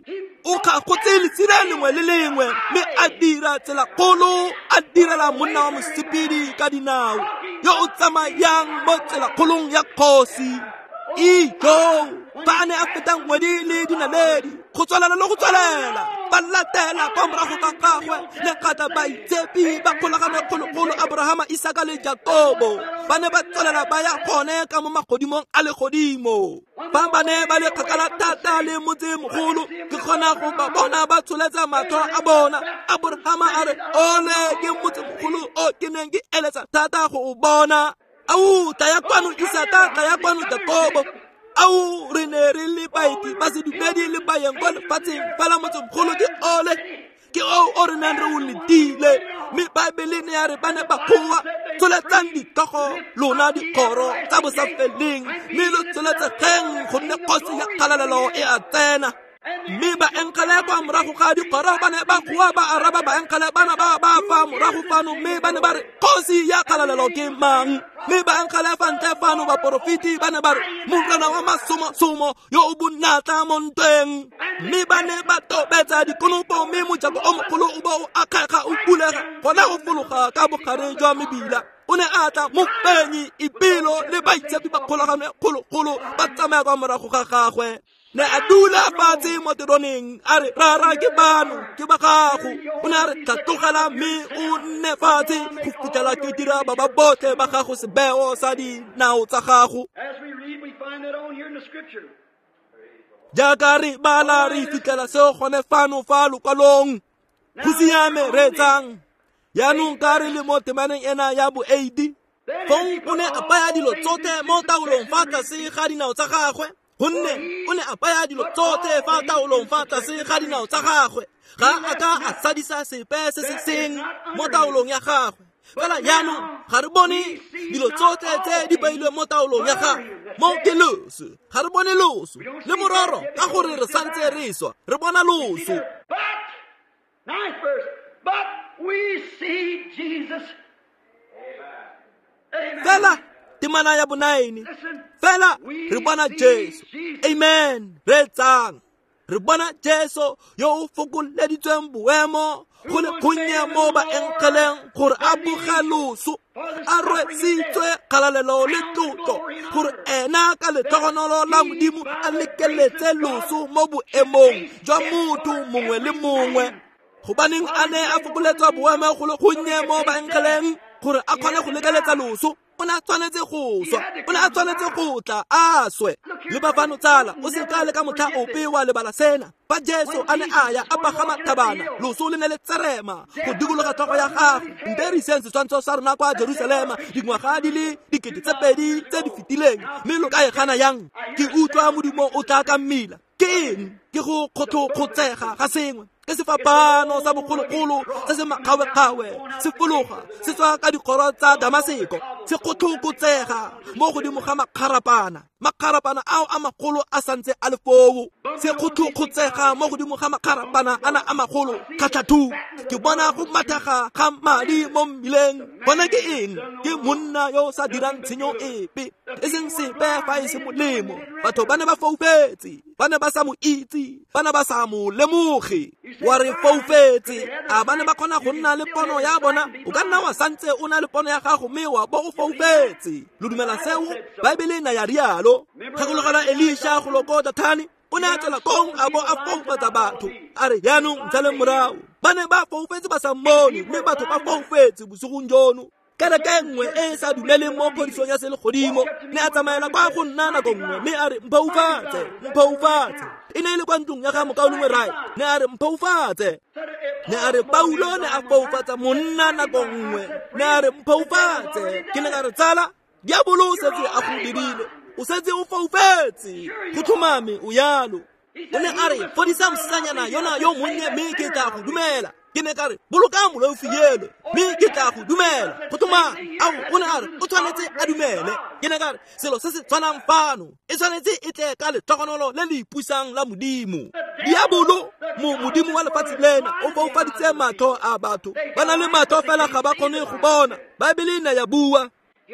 o kgagotse lesire lengwe le lengwe, mme a dira tsela kgolo, a direla monna wa mosepedi ka dinao yo o tsamayang mo tselakgolong ya kgosi. Ijo, fa a ne a feta ngwedi le dinaledi, go tswelela le go tswelela, fa Ba latela kwa morago ga gagwe le kgatla baitshepi ba kgolagano kgologolo Abrahama, Isaka le Jakobo. Ba ne ba tswelela ba ya gone ka mo magodimong a legodimo. Fa ba ne ba le kgakala thata le motsemogolo, ke kgona go ba bona ba tsholetsa matlho a bona. Abrahama a re, ole ke motsemogolo o ke neng ke eletsa thata go o bona. Au, tlaya kwano Isaka, tlaya kwano Jakobo. Au, re ne re le baeti ba sedumedi le bayeng kwa lefatsheng, fela motsemogolo ke ole, ke oo o re neng re o letile. Mme Baebele ne ya re ba ne ba goa, tsholetsang ditlhogo lona dikgoro tsa bosafeleng, mme lo tsholetsegeng gonne kgosi ya kgalalelo e a tsena. Mme baenkgele kwa morago ga dikgoro ba ne ba goa ba araba baenkgele bana ba ba fa morago fano, mme ba ne ba re kgosi ya kgalalelo ke mang? Mme baenkgele fa ntle fano baporofeti ba ne ba re morena wa masomosomo yo o bonatla mo ntweng. Mme ba ne ba tobetsa dikonopo, mme mojako o mogolo o bo o akgega o bulega gona go fologa ka bogare jwa mebila. O ne a tla mofenyi ipelo le baitshepi ba kgolagano kgologolo ba tsamaya kwa morago ga gagwe. Ne a dula fatshe mo teroneng a re, rara ke bano ke ba gago. O ne a re, tlhatlogela mme o nne fatshe go fitlhela ke dira ba ba botlhe ba gago sebeo sa dinao tsa gago. Jaaka re bala re fitlhela seo gone fano fa lokwalong. Go siame, reetsang. Jaanong ka re le mo temaneng ena ya bo 8, fong o ne a baya dilo tsotlhe mo taolong fa tlase ga dinao tsa gagwe. Gonne o ne a baya dilo tsotlhe fa taolong fa tlase ga dinao tsa gagwe. Ga a ka a sadisa sepe se se seng mo taolong ya gagwe. Fela jaanong ga re bone dilo tsotlhe tse di beilweng mo taolong ya gagwe. Mo ke loso, ga re bone loso le mororo ka gore re santse re swa, re bona loso. But we see Jesus. Fela temana ya bo-9, fela re bona Jesu. Amen. Reetsang. Re bona Jesu yo o fokoleditsweng boemo go le gonnye mo baenkgeleng gore a boge loso, a rwesitswe kgalalelo le tlotlo, gore ena ka letlhogonolo la Modimo a lekeletse loso mo boemong jwa motho mongwe le mongwe. Gobaneng a ne a fokoletswa boemo go le gonnye mo baenkgeleng gore a kgone go lekeletsa loso? O ne a tshwanetse go swa, o ne a tshwanetse go tla a swe. Le ba fano tsala, o se ka le ka motlha ope wa lebala sena. Fa Jesu a ne a ya a pagama thabana, loso le ne le tserema go dikologa tlhogo ya gagwe. Nte re iseng setshwantsho sa rona kwa Jerusalema dingwaga di le 2000 tse di fetileng, mme lo ka e gana yang? Ke utlwa modumo o tla ka mmila. Ke eng? Ke go kgotlhotsega ga sengwe. Ke sefapano sa bogologolo se se makgawekgawe, se fologa se tswa ka dikgoro tsa Damaseko, se kgotlhokotsega mo godimo ga makgarapana. Makgarapana ao a magolo a santse a le foo, se kgotlhokotsega mo godimo ga makgarapana ana a magolo kgatlhathu. Ke bona go mathega ga madi mo mmileng. Bona ke eng? Ke monna yo o sa dirang tshenyo epe, e seng sepe fa e se molemo. Batho ba ne ba foufetse, ba ne ba sa mo itse, ba ne ba sa mo lemoge. Wa re foufetse, a ba ne ba kgona go nna le pono ya bona? O ka nna wa santse o na le pono ya gago mme wa bo o foufetse. Lo dumela seo? Baebele na ya rialo. Gakologelwa Elisha go loko Dathane, o ne a tswela kong a bo a foufatsa batho. A re, jaanong ntshaleng morago. Ba ne ba foufetse ba sa mmone, mme batho ba foufetse bosigong jono. Kereke nngwe e e sa dumeleng mo phodisong ya selegodimo ne a tsamaela kwa go nna nako nngwe, mme a re, mphoufatse, mphoufatse. E ne e le kwa ntlong ya ga mokaulengwe Rai. Ne a re, mphoufatse. Ne a re, Paulo ne a foufatsa monna nako nngwe. Ne a re, mphoufatse. Ke ne ka re, tsala, diabolo o setse a go dirile, o setse o foufetse, go tlhomame o yalo. O ne a re, fodisa mosetsanyana yona yo monnye mme ke tla go dumela. Ke ne ka re, boloka moleofi elo mme ke tla go dumela. Go tlhomame. Ao, o ne a re, o tshwanetse a dumele. Ke ne ka re, selo se se tshwanang fano e tshwanetse e tle ka letlhogonolo le le ipusang la Modimo. Diabolo, modimo wa lefatshe lena, o foufaditse matlho a batho. Ba na le matlho fela ga ba kgone go bona. Baebele ne ya bua.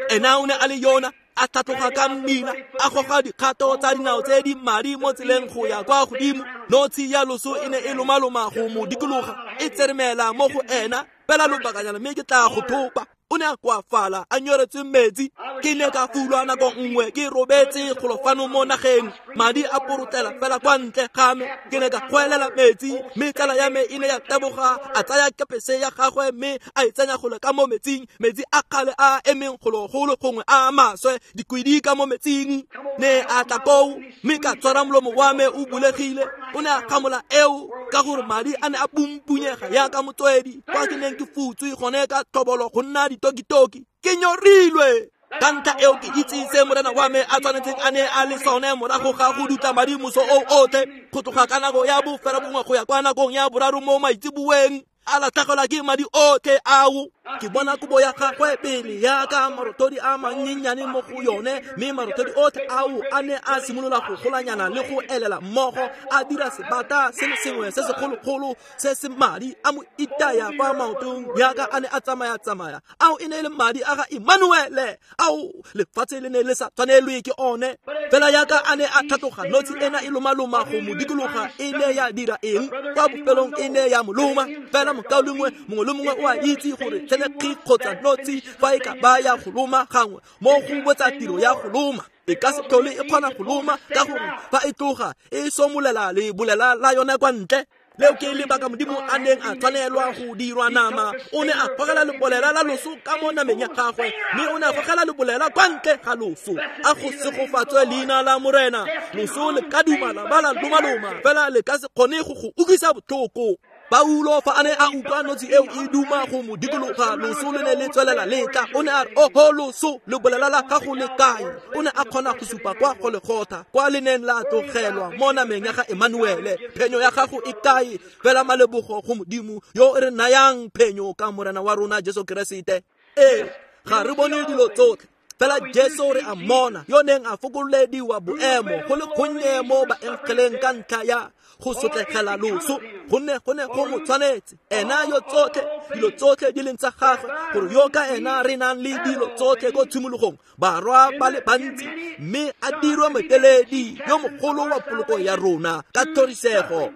Ena o ne a le yona, a tlhatloga ka mmila, a goga dikgato tsa dinao tse di madi mo tseleng go ya kwa godimo. Notshi ya loso e ne e lomaloma go mo dikologa, e tseremela mo go ena fela lobakanyana, mme ke tla go thopa. O ne a koafala a nyoretswe metsi. Ke ne ka fulwa nako nngwe ke robetse golo fano mo nageng, madi a porotela fela kwa ntle ga me. Ke ne ka goelela metsi, mme tsala ya me e ne ya taboga, a tsaya kepese ya gagwe mme a e tsenya golo ka mo metsing, metsi a kgale a emeng gologolo gongwe a maswe, dikwidi ka mo metsing. Ne a tla koo, mme ka tshwara molomo wa me o bulegile. O ne a gamola eo ka gore madi a ne a pumpunyega yaka motswedi kwa ke neng ke futswe gone ka tlhobolo go nna ditokitoki. Ke nyorilwe. Ka ntlha eo ke itse se morena wa me a tshwanetseng a ne a le sone morago ga go dutla madi moso o otlhe, go tloga ka nako ya 9:30 go ya kwa nakong ya 3 mo maitseboeng, a latlhegelwa ke madi otlhe ao. Ke bona kobo ya gagwe pele yaka marothodi a mannyenyane mo go yone, mme marothodi otlhe ao a ne a simolola go golanyana le go elela mmogo, a dira sebata se le sengwe se segologolo se se madi, a mo itaya fa maotong yaka a ne a tsamaya-tsamaya. Ao e ne e le madi a ga Emmanuele, ao lefatshe le ne le sa tshwanelwe ke one. Fela yaka a ne a tlhatloga, notshi ena e lomaloma go mo dikologa, e ne ya dira eng? Kwa bofelong e ne ya mo loma. Fela mokaulengwe mongwe le mongwe o a itse gore tshenekgi kgotsa notshi fa e ka ba ya go loma gangwe mo go botsa tiro ya go loma, e ka se tlhole e kgona go loma, ka gore fa e tloga e somolela lebolela la yone kwa ntle. Leo ke lebaka Modimo a neng a tshwanelwa go dirwa nama. O ne a gogela lebolela la loso ka mo nameng ya gagwe, mme o ne a gogela lebolela kwa ntle ga loso. A go segofatswe leina la Morena. Loso le ka duma la ba la lomaloma, fela le ka se kgone go go utlwisa botlhoko. Paulo fa a ne a utlwa notshi eo e duma go mo dikologa, loso le ne le tswelela le tla. O ne a re, oho loso, lebolela la gago le kae? O ne a kgona go supa kwa Golgotha, kwa le neng la tlogelwa mo nameng ya ga Emmanuele. Phenyo ya gago e kae? Fela malebogo go Modimo yo o re nayang phenyo ka Morena wa rona Jesu Keresete. Ee, ga re bone dilo tsotlhe, fela Jesu re a mmona, yo neng a fokolediwa boemo go le gonnye mo baengeleng ka ntlha ya go sotlegela loso, gonne go ne go mo tshwanetse ena yo tsotlhe dilo tsotlhe di leng tsa gagwe, gore yo ka ena re nang le dilo tsotlhe ko tshimologong, barwa ba le bantsi, mme a dirwe moeteledi yo mogolo wa poloko ya rona ka thorisego.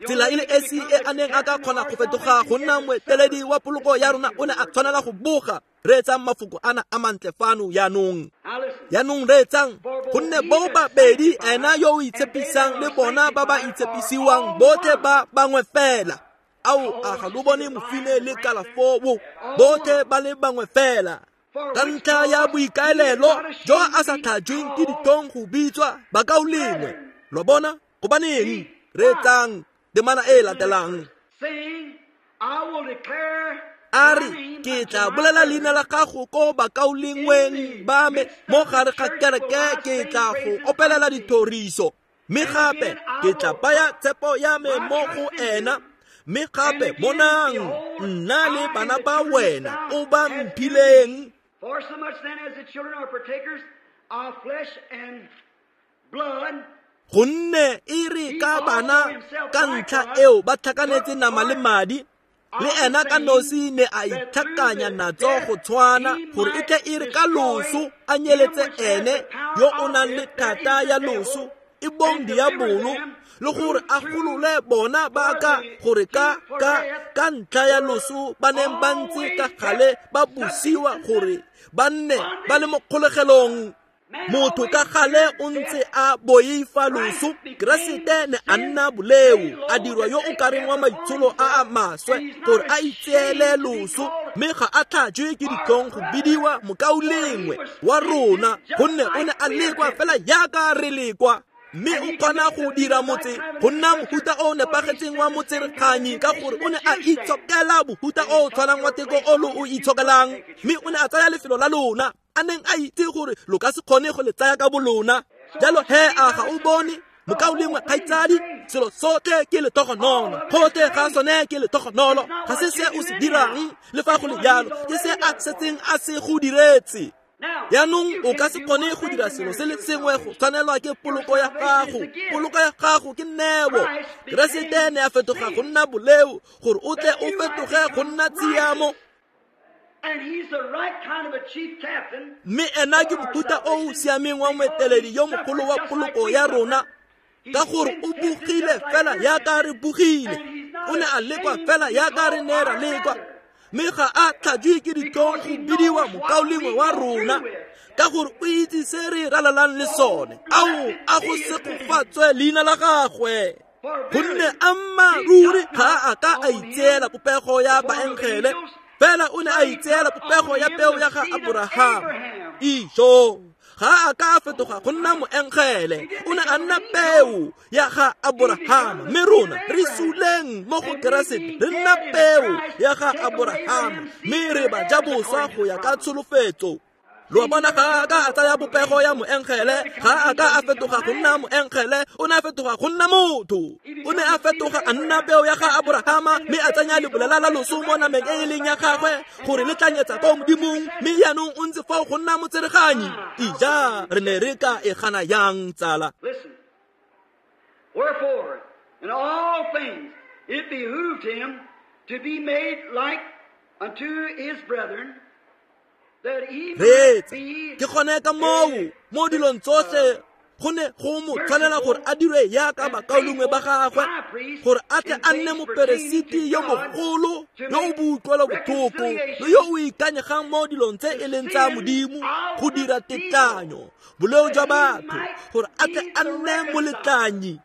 Tsela e le esi e a neng a ka kgona go fetoga go nna moeteledi wa poloko ya rona, o ne a tshwanela go boga. Reetsang mafoko ana a mantle fano yaanong. Yaanong reetsang, gonne bo babedi ena yo o itshepisang le bona ba ba itshepisiwang botlhe ba bangwe fela. Ao, a ga lo bone mofine le kalafoo, botlhe ba le bangwe fela. Ka ntlha ya boikaelelo jo a sa tlhajweng ke ditlhong go bitswa bakaulengwe. Lo bona gobaneng? Reetsang temana e latelang. A re, ke tla bolela leina la gago ko bakaulengweng ba me, mo gare ga kereke ke tla go opelela dithoriso. Mme gape ke tla baya tshepo ya me mo go ena. Mme gape bonang, nna le bana ba wena o ba mphileng. For so much then as the children are partakers of flesh and blood, gonne e re ka bana ka ntlha eo ba tlhakanetse nama le madi, le ena ka nosi ne a itlhakanya natso go tshwana, gore e tle e re ka loso a nyeletse ene yo o nang le thata ya loso, e bong diabolo, le gore a golole bona ba ka gore ka ka ntlha ya loso ba neng ba ntse ka gale ba busiwa gore ba nne ba le mo kgolegelong. Motho ka gale o ntse a boifa loso. Keresete ne a nna boleo, a dirwa yo o kareng wa maitsholo a a maswe gore a itseele loso, mme ga a tlhajwe ke ditlhong go bidiwa mokaulengwe wa rona, gonne o ne a lekwa fela yaka re lekwa. Mme o kgona go dira motse go nna mohuta o nepagetseng wa motsereganyi, ka gore o ne a itshokela mohuta o tshwanang wa teko o lo o itshokelang, mme o ne a tsaya lefelo la lona a neng a itse gore lo ka se kgone go le tsaya ka bolona. Jalo he, a ga o bone mokaulengwe kgaitsadi, selo sotlhe ke letogonolo, gotlhe ga sone ke letogonolo. Ga se se o se dirang, le fa go le jalo ke se a setseng a se go diretse. Yaanong o ka se kgone go dira selo se le sengwe go tshwanelwa ke poloko ya gago. Poloko ya gago ke neo. Keresete ne a fetoga go nna boleo gore o tle o fetoge go nna tshiamo. Mme ena ke mohuta o o siameng wa moeteledi yo mogolo wa poloko ya rona, ka gore o bogile fela yaka re bogile. O ne a lekwa fela yaka re ne ra lekwa, Mme ga a tlhajwe ke ditlhong go bidiwa mokaulengwe wa rona, ka gore o itse se re ralalang le sone. Ao, a go segofatswe leina la gagwe. Gonne ammaaruri ga a ka a itseela popego ya baengele, fela o ne a itseela popego ya peo ya ga Aborahama. Ijo, ga a ka a fetoga go nna moengele, o ne a nna peo ya ga Aborahama. Mme rona re suleng mo go Keresete, re nna peo ya ga Aborahama, mme re ba ja boswa go ya ka tsholofetso. Lo bona, ga a ka a tsaya popego ya moengele, ga a ka a fetoga go nna moengele, o ne a fetoga go nna motho. O ne a fetoga a nna peo ya ga Aborahama, mme a tsenya lebolela la loso mo nameng e e leng ya gagwe gore le tlanyetsa ko Modimong, mme jaanong o ntse fao go nna motsereganyi. Ija, re ne re ka e gana yang, tsala? Listen. Wherefore, in all things, it behooved him to be made like unto his brethren, that he might Reetsa, be ke gone ka moo mo dilong tsotlhe go ne go mo tshwanela gore a dirwe yaka bakaulengwe ba gagwe, gore a tle a nne moperesiti yo mogolo yo o boutlwelo botlhoko le yo o ikanyegang mo dilong tse e leng tsa Modimo, go dira tetlanyo boleo jwa batho, gore a tle a nne moletlanyi.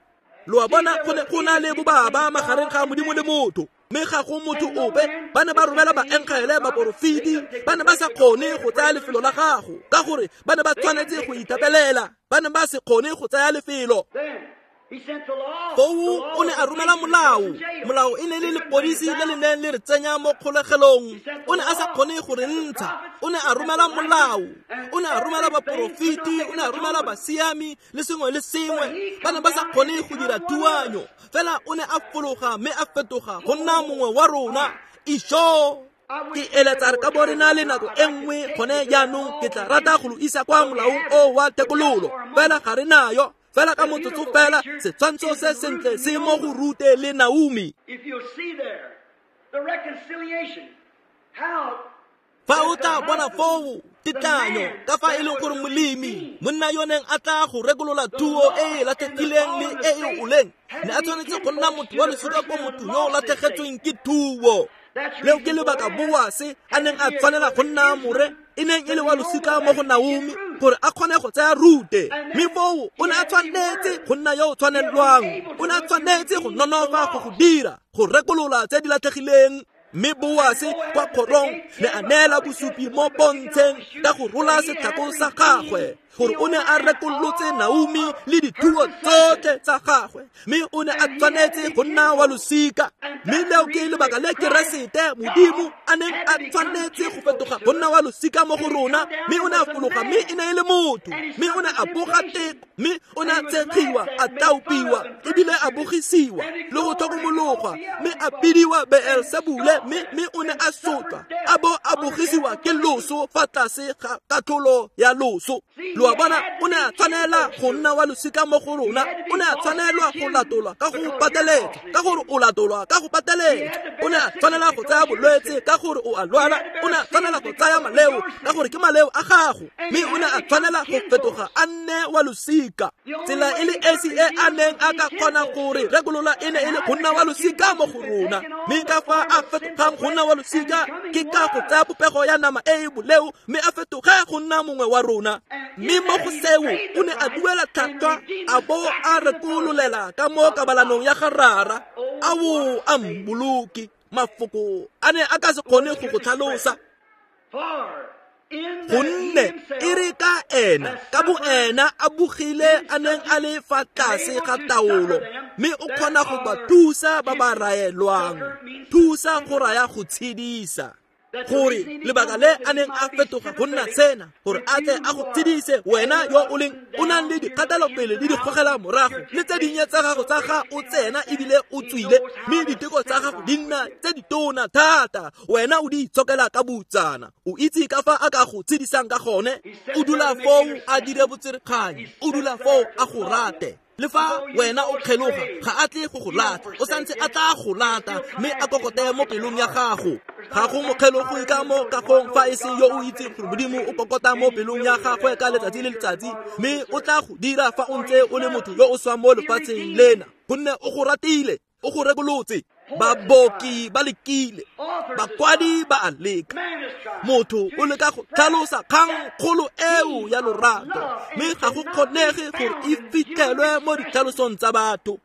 Lo a bona, go ne go na le bobaba magareng ga Modimo le motho, mme ga go motho ope. Ba ne ba romela baengele, baporofeti, ba ne ba sa kgone go tsaya lefelo la gago, ka gore ba ne ba tshwanetse go ithapelela, ba ne ba se kgone go tsaya lefelo. Then he sent the law. Foo o ne a romela molao. Molao e ne le lepodisi le le neng le re tsenya mo kgolegelong. O ne a sa kgone go re ntsha. O ne a romela molao, o ne a romela baporofeti, o ne a romela basiami le sengwe le sengwe. Ba ne ba sa kgone go dira thuanyo, fela o ne a fologa mme a fetoga go nna mongwe wa rona. Ijo, ke eletsa re ka bo re na le nako e nngwe gone jaanong. Ke tla rata go lo isa kwa molaong o wa thekololo, fela ga re nayo. Fela ka motsotso fela, setshwantsho se sentle se mo go Rute le Naomi. If you'll see there, the reconciliation, how Fa o tla bona foo tetlanyo, ka fa e leng gore molemi, monna yo neng a tla go rekolola thuo e e latlhegileng le e e oleng, ne a tshwanetse go nna motho wa losika ko motho yo o latlhegetsweng ke thuo. Leo ke lebaka Boase a neng a tshwanela go nna more e neng e le wa losika mo go Naomi, gore a kgone go tsaya Rute. Mme foo o ne a tshwanetse go nna yo o tshwanelwang, o ne a tshwanetse go nonofa go go dira, go rekolola tse di latlhegileng. Mme Boase kwa kgorong ne a neela bosupi mo pontsheng ka go rola setlhako sa gagwe, gore o ne a rekolotse Naomi le dithuo tsotlhe tsa gagwe, mme o ne a tshwanetse go nna wa losika. Mme leo ke lebaka le Keresete Modimo a neng a tshwanetse go fetoga go nna wa losika mo go rona. Mme o ne a fologa, mme e ne e le motho, mme o ne a boga teko, mme o ne a tshegiwa, a tlaopiwa, ebile a bogisiwa le go tlhokomologwa, mme a bidiwa Beelsebule, mme o ne a sotlwa, a bo a bogisiwa ke loso fa tlase ga katlholo ya loso. Lo a bona, o ne a tshwanela go nna wa losika mo go rona. O ne a tshwanelwa go latolwa ka go pateletsa, ka gore o latolwa ka go pateletsa. O ne a tshwanela go tsaya bolwetse ka gore o a lwala. O ne a tshwanela go tsaya maleo ka gore ke maleo a gago. Mme o ne a tshwanela go fetoga a nne wa losika. Tsela e le esi e a neng a ka kgona gore rekolola e ne e le go nna wa losika mo go rona. Mme ka fa a fetogang go nna wa losika ke ka go tsaya popego ya nama e e boleo, mme a fetoge go nna mongwe wa rona. Mme mo go seo o ne a duela tlhwatlhwa, a bo a rekololela ka mo kabalanong ya ga Rara. Ao, a mmoloki, mafoko a ne a ka se kgone go go tlhalosa. For in that he Gonne e re ka ena ka bo ena a bogile a neng a le fa tlase ga taolo, mme o kgona go ba thusa ba ba raelwang. Thusa go raya go tshedisa. Gore lebaka le a neng a fetoga go nna sena, gore a tle a go tshedise wena yo o leng o nang le dikgatelopele le dikgogela morago le tse dinnye tsa gago tsa ga o tsena ebile o tswile, mme diteko tsa gago di nna tse ditona thata, wena o di itshokela ka boutsana. O itse ka fa a ka go tshedisang ka gone. O dula foo a dire botserekganyi, o dula foo a go rate. Le fa wena o kgeloga, ga a tle go go lata, o santse a tla go lata, mme a kokote mo pelong ya gago. Ga go mokgelogo ka mo kagong fa e se yo o itseng gore Modimo o kokota mo pelong ya gagwe ka letsatsi le letsatsi, mme o tla go dira fa o ntse o le motho yo o swang mo lefatsheng lena, gonne o go ratile, o go rekolotse. Baboki ba lekile, bakwadi ba a leka, motho o leka go tlhalosa kgang kgolo eo ya lorato, mme ga go kgonege gore e fitlhelwe mo ditlhalosong tsa batho.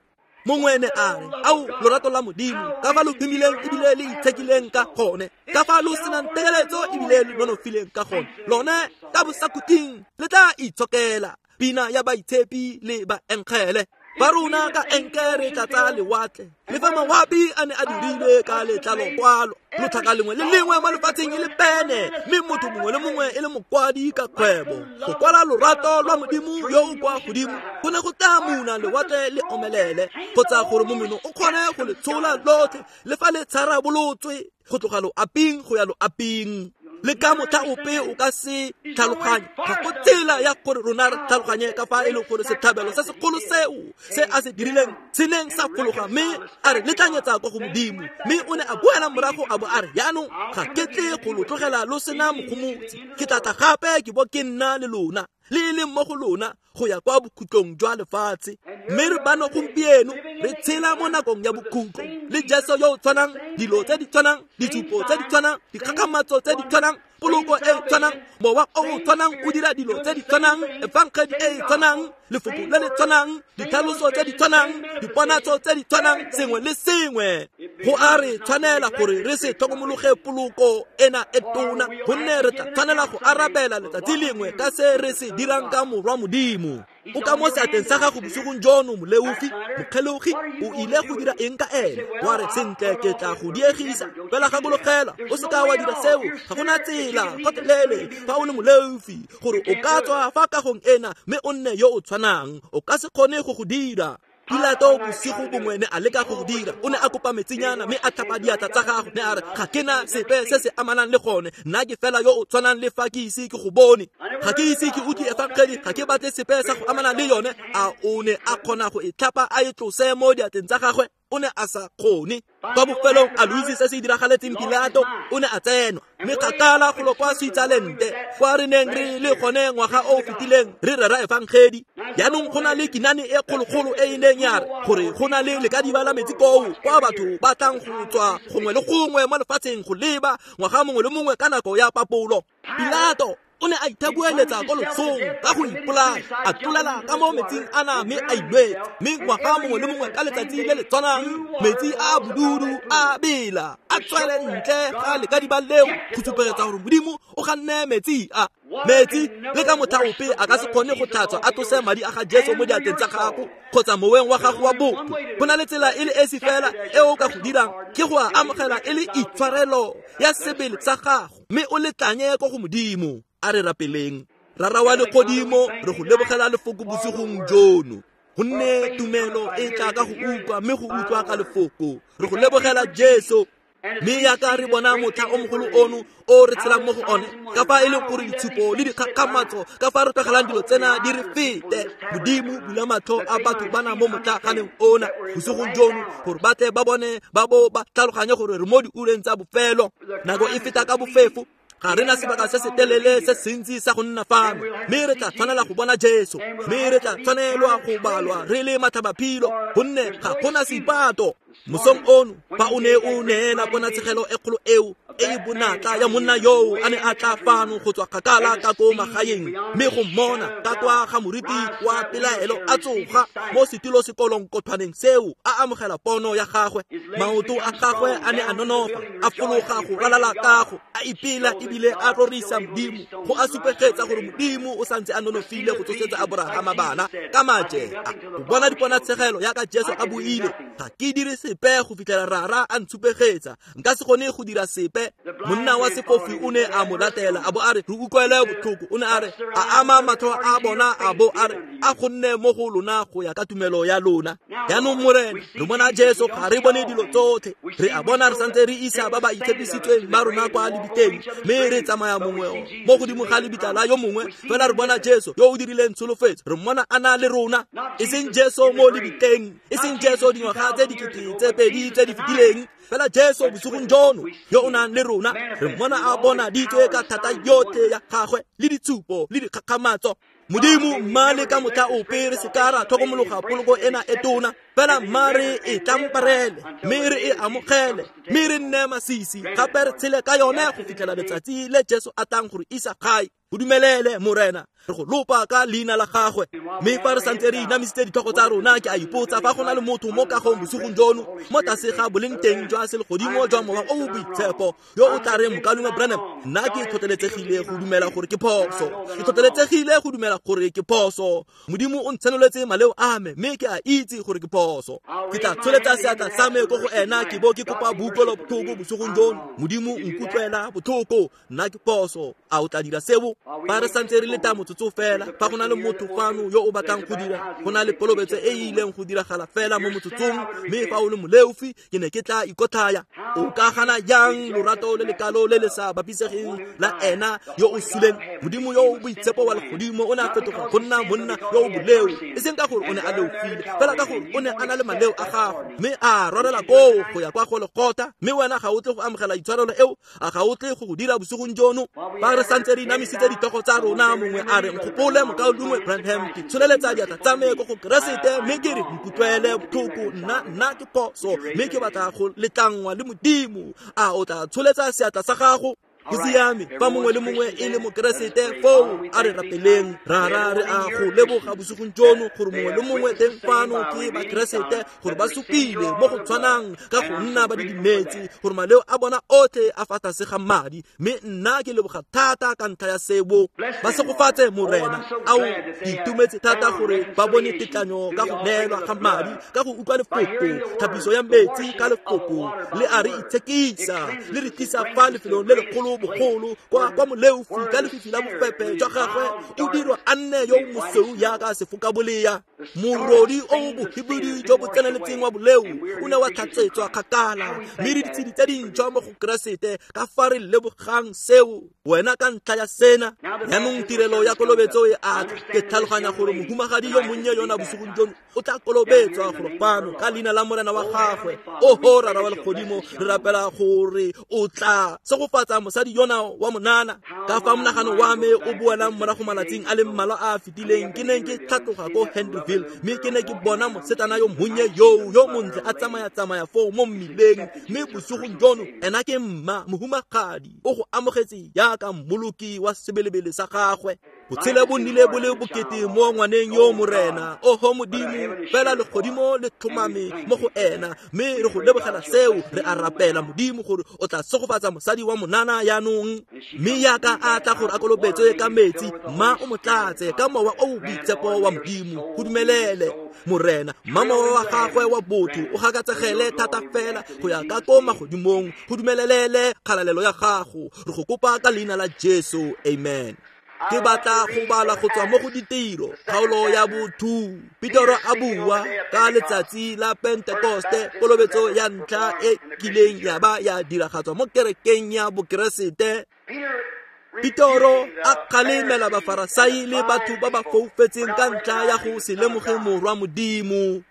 Mongwe ne a re, ao lorato la Modimo, ka fa lo humileng ebile le itshekileng ka gone, ka fa lo senang tekeletso ebile lo nonofileng ka gone, lone ka bosakhutleng le tla itshokela pina ya baitshepi le baenkgele. Ba rona ka enke re tlatsa lewatle, le fa mawapi a ne a dirilwe ka letlalokwalo, lotlhaka lengwe le lengwe mo lefatsheng e le pene, mme motho mongwe le mongwe e le mokwadi ka kgwebo. Go kwala lorato lwa Modimo yo o kwa godimo go ne go tla muna lewatle le omelele, kgotsa gore momeno o kgone go le tshola lotlhe le fa le tsharabolotswe go tloga loaping go ya loaping. Le ka motlha ope o ka se tlhaloganye, ga go tsela ya gore rona re tlhaloganye ka fa e leng gore setlhabelo se segolo seo se a se dirileng se neng sa fologa, mme a re letlanyetsa kwa go Modimo. Mme o ne a boela morago a bo a re, jaanong ga ke tle go lo tlogela lo sena mogomotsi, ke tla tla gape ke bo ke nna le lona, le e leng mo go lona go ya kwa bokhutlong jwa lefatshe. Mme re bano gompieno re tshela mo nakong ya bokhutlo, le Jesu yo o tshwanang, dilo tse di tshwanang, ditshupo tse di tshwanang, dikgakgamatso tse di tshwanang, poloko e tshwanang, mowa o o tshwanang o dira dilo tse di tshwanang, efangedi e e tshwanang, lefoko le le tshwanang, ditlhaloso tse di tshwanang, diponatso tse di tshwanang, sengwe le sengwe. Go a re tshwanela gore re se tlhokomologe poloko ena e tona, gonne re tla tshwanela go arabela letsatsi lengwe ka se re se dirang ka morwa Modimo. O ka mo seatleng sa gago bosigong jono, moleofi, mokgelogi, o ile go dira eng ka ene? Wa re, sentle ke tla go diegisa, fela gakologela, o se ka wa dira seo, ga gona tsela gotlhelele fa o le moleofi gore o ka tswa fa kagong ena mme o nne yo o tshwanang, o ka se kgone go go dira. Pilato bosigo bongwe ne a leka go go dira, o ne a kopa metsinyana mme a tlhapa diatla tsa gagwe, ne a re, ga ke na sepe se se amanang le gone, nna ke fela yo o tshwanang le fa ke ise ke go bone, ga ke ise ke utlwe efangedi, ga ke batle sepe sa go amana le yone. A o ne a kgona go e tlhapa a e tlose mo diatleng tsa gagwe? O ne a sa kgone. Kwa bofelong a lo itse se se diragaletseng Pilato? O ne a tsenwa mme kgakala golo kwa Switzerland, kwa re neng re le gone ngwaga o o fetileng re rera efangedi. Jaanong go na le kinane e kgologolo e e neng ya re gore go na le lekadiba la metsi koo, kwa batho ba tlang go tswa gongwe le gongwe mo lefatsheng go leba ngwaga mongwe le mongwe ka nako ya papolo. Pilato o ne a ithabueletsa ko losong ka go ipolaya, a tlolela ka mo metsing ana mme a ilwetse, mme ngwaga mongwe le mongwe ka letsatsi le le tshwanang metsi a bodudu a bela a tswele ntle ga lekadiba leo go supegetsa gore Modimo o ganne metsi a. Metsi le ka motlha ope a ka se kgone go tlhatswa a tlose madi a ga Jesu mo diatleng tsa gago kgotsa moweng wa gago wa botho. Go na le tsela e le esi fela e o ka go dirang, ke go a amogela e le itshwarelo ya sebele sa gago, mme o letlanye ko go Modimo. A re rapeleng. Rara wa legodimo, re go lebogela lefoko bosigong jono, gonne tumelo e tla ka go utlwa, mme go utlwa ka lefoko. Re go lebogela Jesu, mme yaka re bona motlha o mogolo ono o re tshelang mo go one, ka fa e leng gore ditshupo le dikgakgamatso, ka fa re tlogelang dilo tsena di re fete. Modimo, bula matlho a batho bana mo motlaaganeng ona bosigong jono, gore ba tle ba bone ba bo ba tlhaloganye gore re mo diureng tsa bofelo. Nako e feta ka bofefo, ga re na sebaka se se telele se sentsi sa go nna fano, mme re tla tshwanela go bona Jesu, mme re tla tshwanelwa go balwa re le matlhabaphilo, gonne ga gona seipato. Mosong ono fa o ne o neela ponatshegelo e kgolo eo e e bonatla ya monna yoo a ne a tla fano go tswa kgakala ka ko magaeng, mme go mmona ka kwa ga moriti wa pelaelo a tsoga mo setilo sekolong seo a amogela pono ya gagwe, maoto a gagwe a ne a nonofa, a fologa go ralala kago, a ipela ebile a rorisa Modimo, go a supegetsa gore Modimo o santse a nonofile go tsosetsa Aborahama bana ka maje. Go bona diponatshegelo yaka Jesu a buile, ga ke dire sepe go fitlhela Rara a ntshupegetsa, nka se kgone go dira sepe. Monna wa sefofi o ne a mo latela a bo a re, re utlwele botlhoko. O ne a re, a ama matlho a bona a bo a re, a go nne mo go lona go ya ka tumelo ya lona. Jaanong Morena, re bona Jesu, ga re bone dilo tsotlhe, re a bona re santse re isa ba ba itshepisitsweng ba rona kwa lebitleng, mme re tsamaya mongwe mo godimo ga lebitla la yo mongwe, fela re bona Jesu yo o dirileng tsholofetso, re mmona a na le rona, e seng Jesu mo lebitleng, e seng Jesu dingwaga tse dikete tse pedi tse di fetileng, fela Jesu bosigong jono yo o nang le rona. Re mmona a bona ditswe ka thata yotlhe ya gagwe le ditshupo le dikgakgamatso. Modimo mma le ka motlha ope re se ka ra tlhokomologa poloko ena e tona, fela mma re e tlamparele, mme re e amogele, mme re nne masisi gape re tshele ka yone go fitlhela letsatsi le Jesu a tlang gore isa gae. Go dumelele Morena, re go lopa ka leina la gagwe. Mme fa re santse re inamisitse ditlhogo tsa rona, ke a ipotsa fa go na le motho mo kagong bosigong jono mo tlase ga boleng teng jwa selegodimo jwa Mowa o o Boitshepo yo o tla reng, Mokaulengwe Branham, nna ke tlhotlheletsegile go dumela gore ke phoso. Ke tlhotlheletsegile go dumela gore ke phoso. Modimo o ntshenoletse maleo a me, mme ke a itse gore ke phoso. Ke tla tsholetsa seatla sa me ko go ena ke bo ke kopa boutlwelobotlhoko bosigong jono. Modimo nkutlwela botlhoko, nna ke phoso. A o tla dira seo? Fa re santse re leta motsotso fela, fa go na le motho fano yo o batlang go dira, go na le kolobetso e e ileng go diragala fela mo motsotsong, mme fa o le moleofi, ke ne ke tla ikotlhaya. O ka gana jang lorato le lekalo le le sa bapisegeng la ena yo o suleng? Modimo yo o boitshepo wa legodimo o ne a fetoga go nna monna yo o boleo, e seng ka gore o ne a leofile, fela ka gore o ne a na le maleo a gago, mme a rwarela koo go ya kwa Golgotha. Mme wena ga o tle go amogela itshwarelo eo, a ga o tle go go dira bosigong jono? Fa re santse re inamisitse ditlhogo tsa rona, mongwe a re, nkgopole Mokaulengwe Branham, ke tsholeletsa diatla tsa me ko go Keresete, mme ke re nkutlwele botlhoko, nna ke phoso, mme ke batla go letlangwa le Modimo. A o tla tsholetsa seatla sa gago? Go siame. Fa mongwe le mongwe e le mokeresete foo, a re rapeleng. Rara, re a go leboga bosigong jono gore mongwe le mongwe teng fano ke bakeresete, gore ba supile mo go tshwanang ka go nna ba didimetse, gore maleo a bona otlhe a fa tlase ga madi. Mme nna ke leboga thata ka ntlha ya seo. Ba segofatse Morena. Ao, ke itumetse thata gore ba bone tetlanyo ka go neelwa ga madi, ka go utlwa lefoko, tlhapiso ya metsi ka lefoko le a re itshekisa, le re tlisa fa lefelong le legolo bogolo kwa moleofi ka lefifi la bofepe jwa gagwe o dirwa a nne yo mosweu jaaka sefokabolea. Morodi o bohibidu jo bo tseneletseng wa boleo o ne wa tlhatsetswa kgakala, mme re ditshedi tse dintšhwa mo go Keresete. Ka fa re lebogang seo wena ka ntlha ya sena. Jaanong tirelo ya kolobetso e a tla. Ke tlhaloganya gore mohumagadi yo monnye yona bosigong jono o tla kolobetswa golo fano ka leina la Morena wa gagwe. Oho Rara wa legodimo, re rapela gore o tla segofatsa mosadi yona wa monana. Ka fa monagano wa me o boelang morago malatsing a le mmalwa a a fetileng, ke neng ke tlhatloga ko Henryville, mme ke ne ke bona mosetana yo monnye yo montle a tsamaya-tsamaya foo mo mmileng. Mme bosigong jono ena ke mma mohumagadi, o go amogetse jaaka mmoloki wa sebelebele sa gagwe. Botshelo bo nnile bo le bokete mo ngwaneng yo Morena. Oho Modimo, fela legodimo le tlhomame mo go ena, mme re go lebogela seo. Re a rapela Modimo gore o tla segofatsa mosadi wa monana yaanong, mme yaka a tla gore a kolobetswe ka metsi, mma o mo tlatse ka mowa o boitshepo wa Modimo. Go dumelele Morena, mma mowa wa gagwe wa botho o gakatsegele thata fela go ya ka ko magodimong. Go dumelelele kgalalelo ya gago. Re go kopa ka leina la Jesu, amen. Ke batla go bala go tswa mo go Ditiro kgaolo ya bo-2. Petero a bua ka letsatsi la Pentekoste, kolobetso ya ntlha e kileng ya ba ya diragatswa mo kerekeng ya bokeresete. Petero a kgalemela Bafarasai le batho ba ba foufetseng ka ntlha ya go se lemoge Morwa Modimo.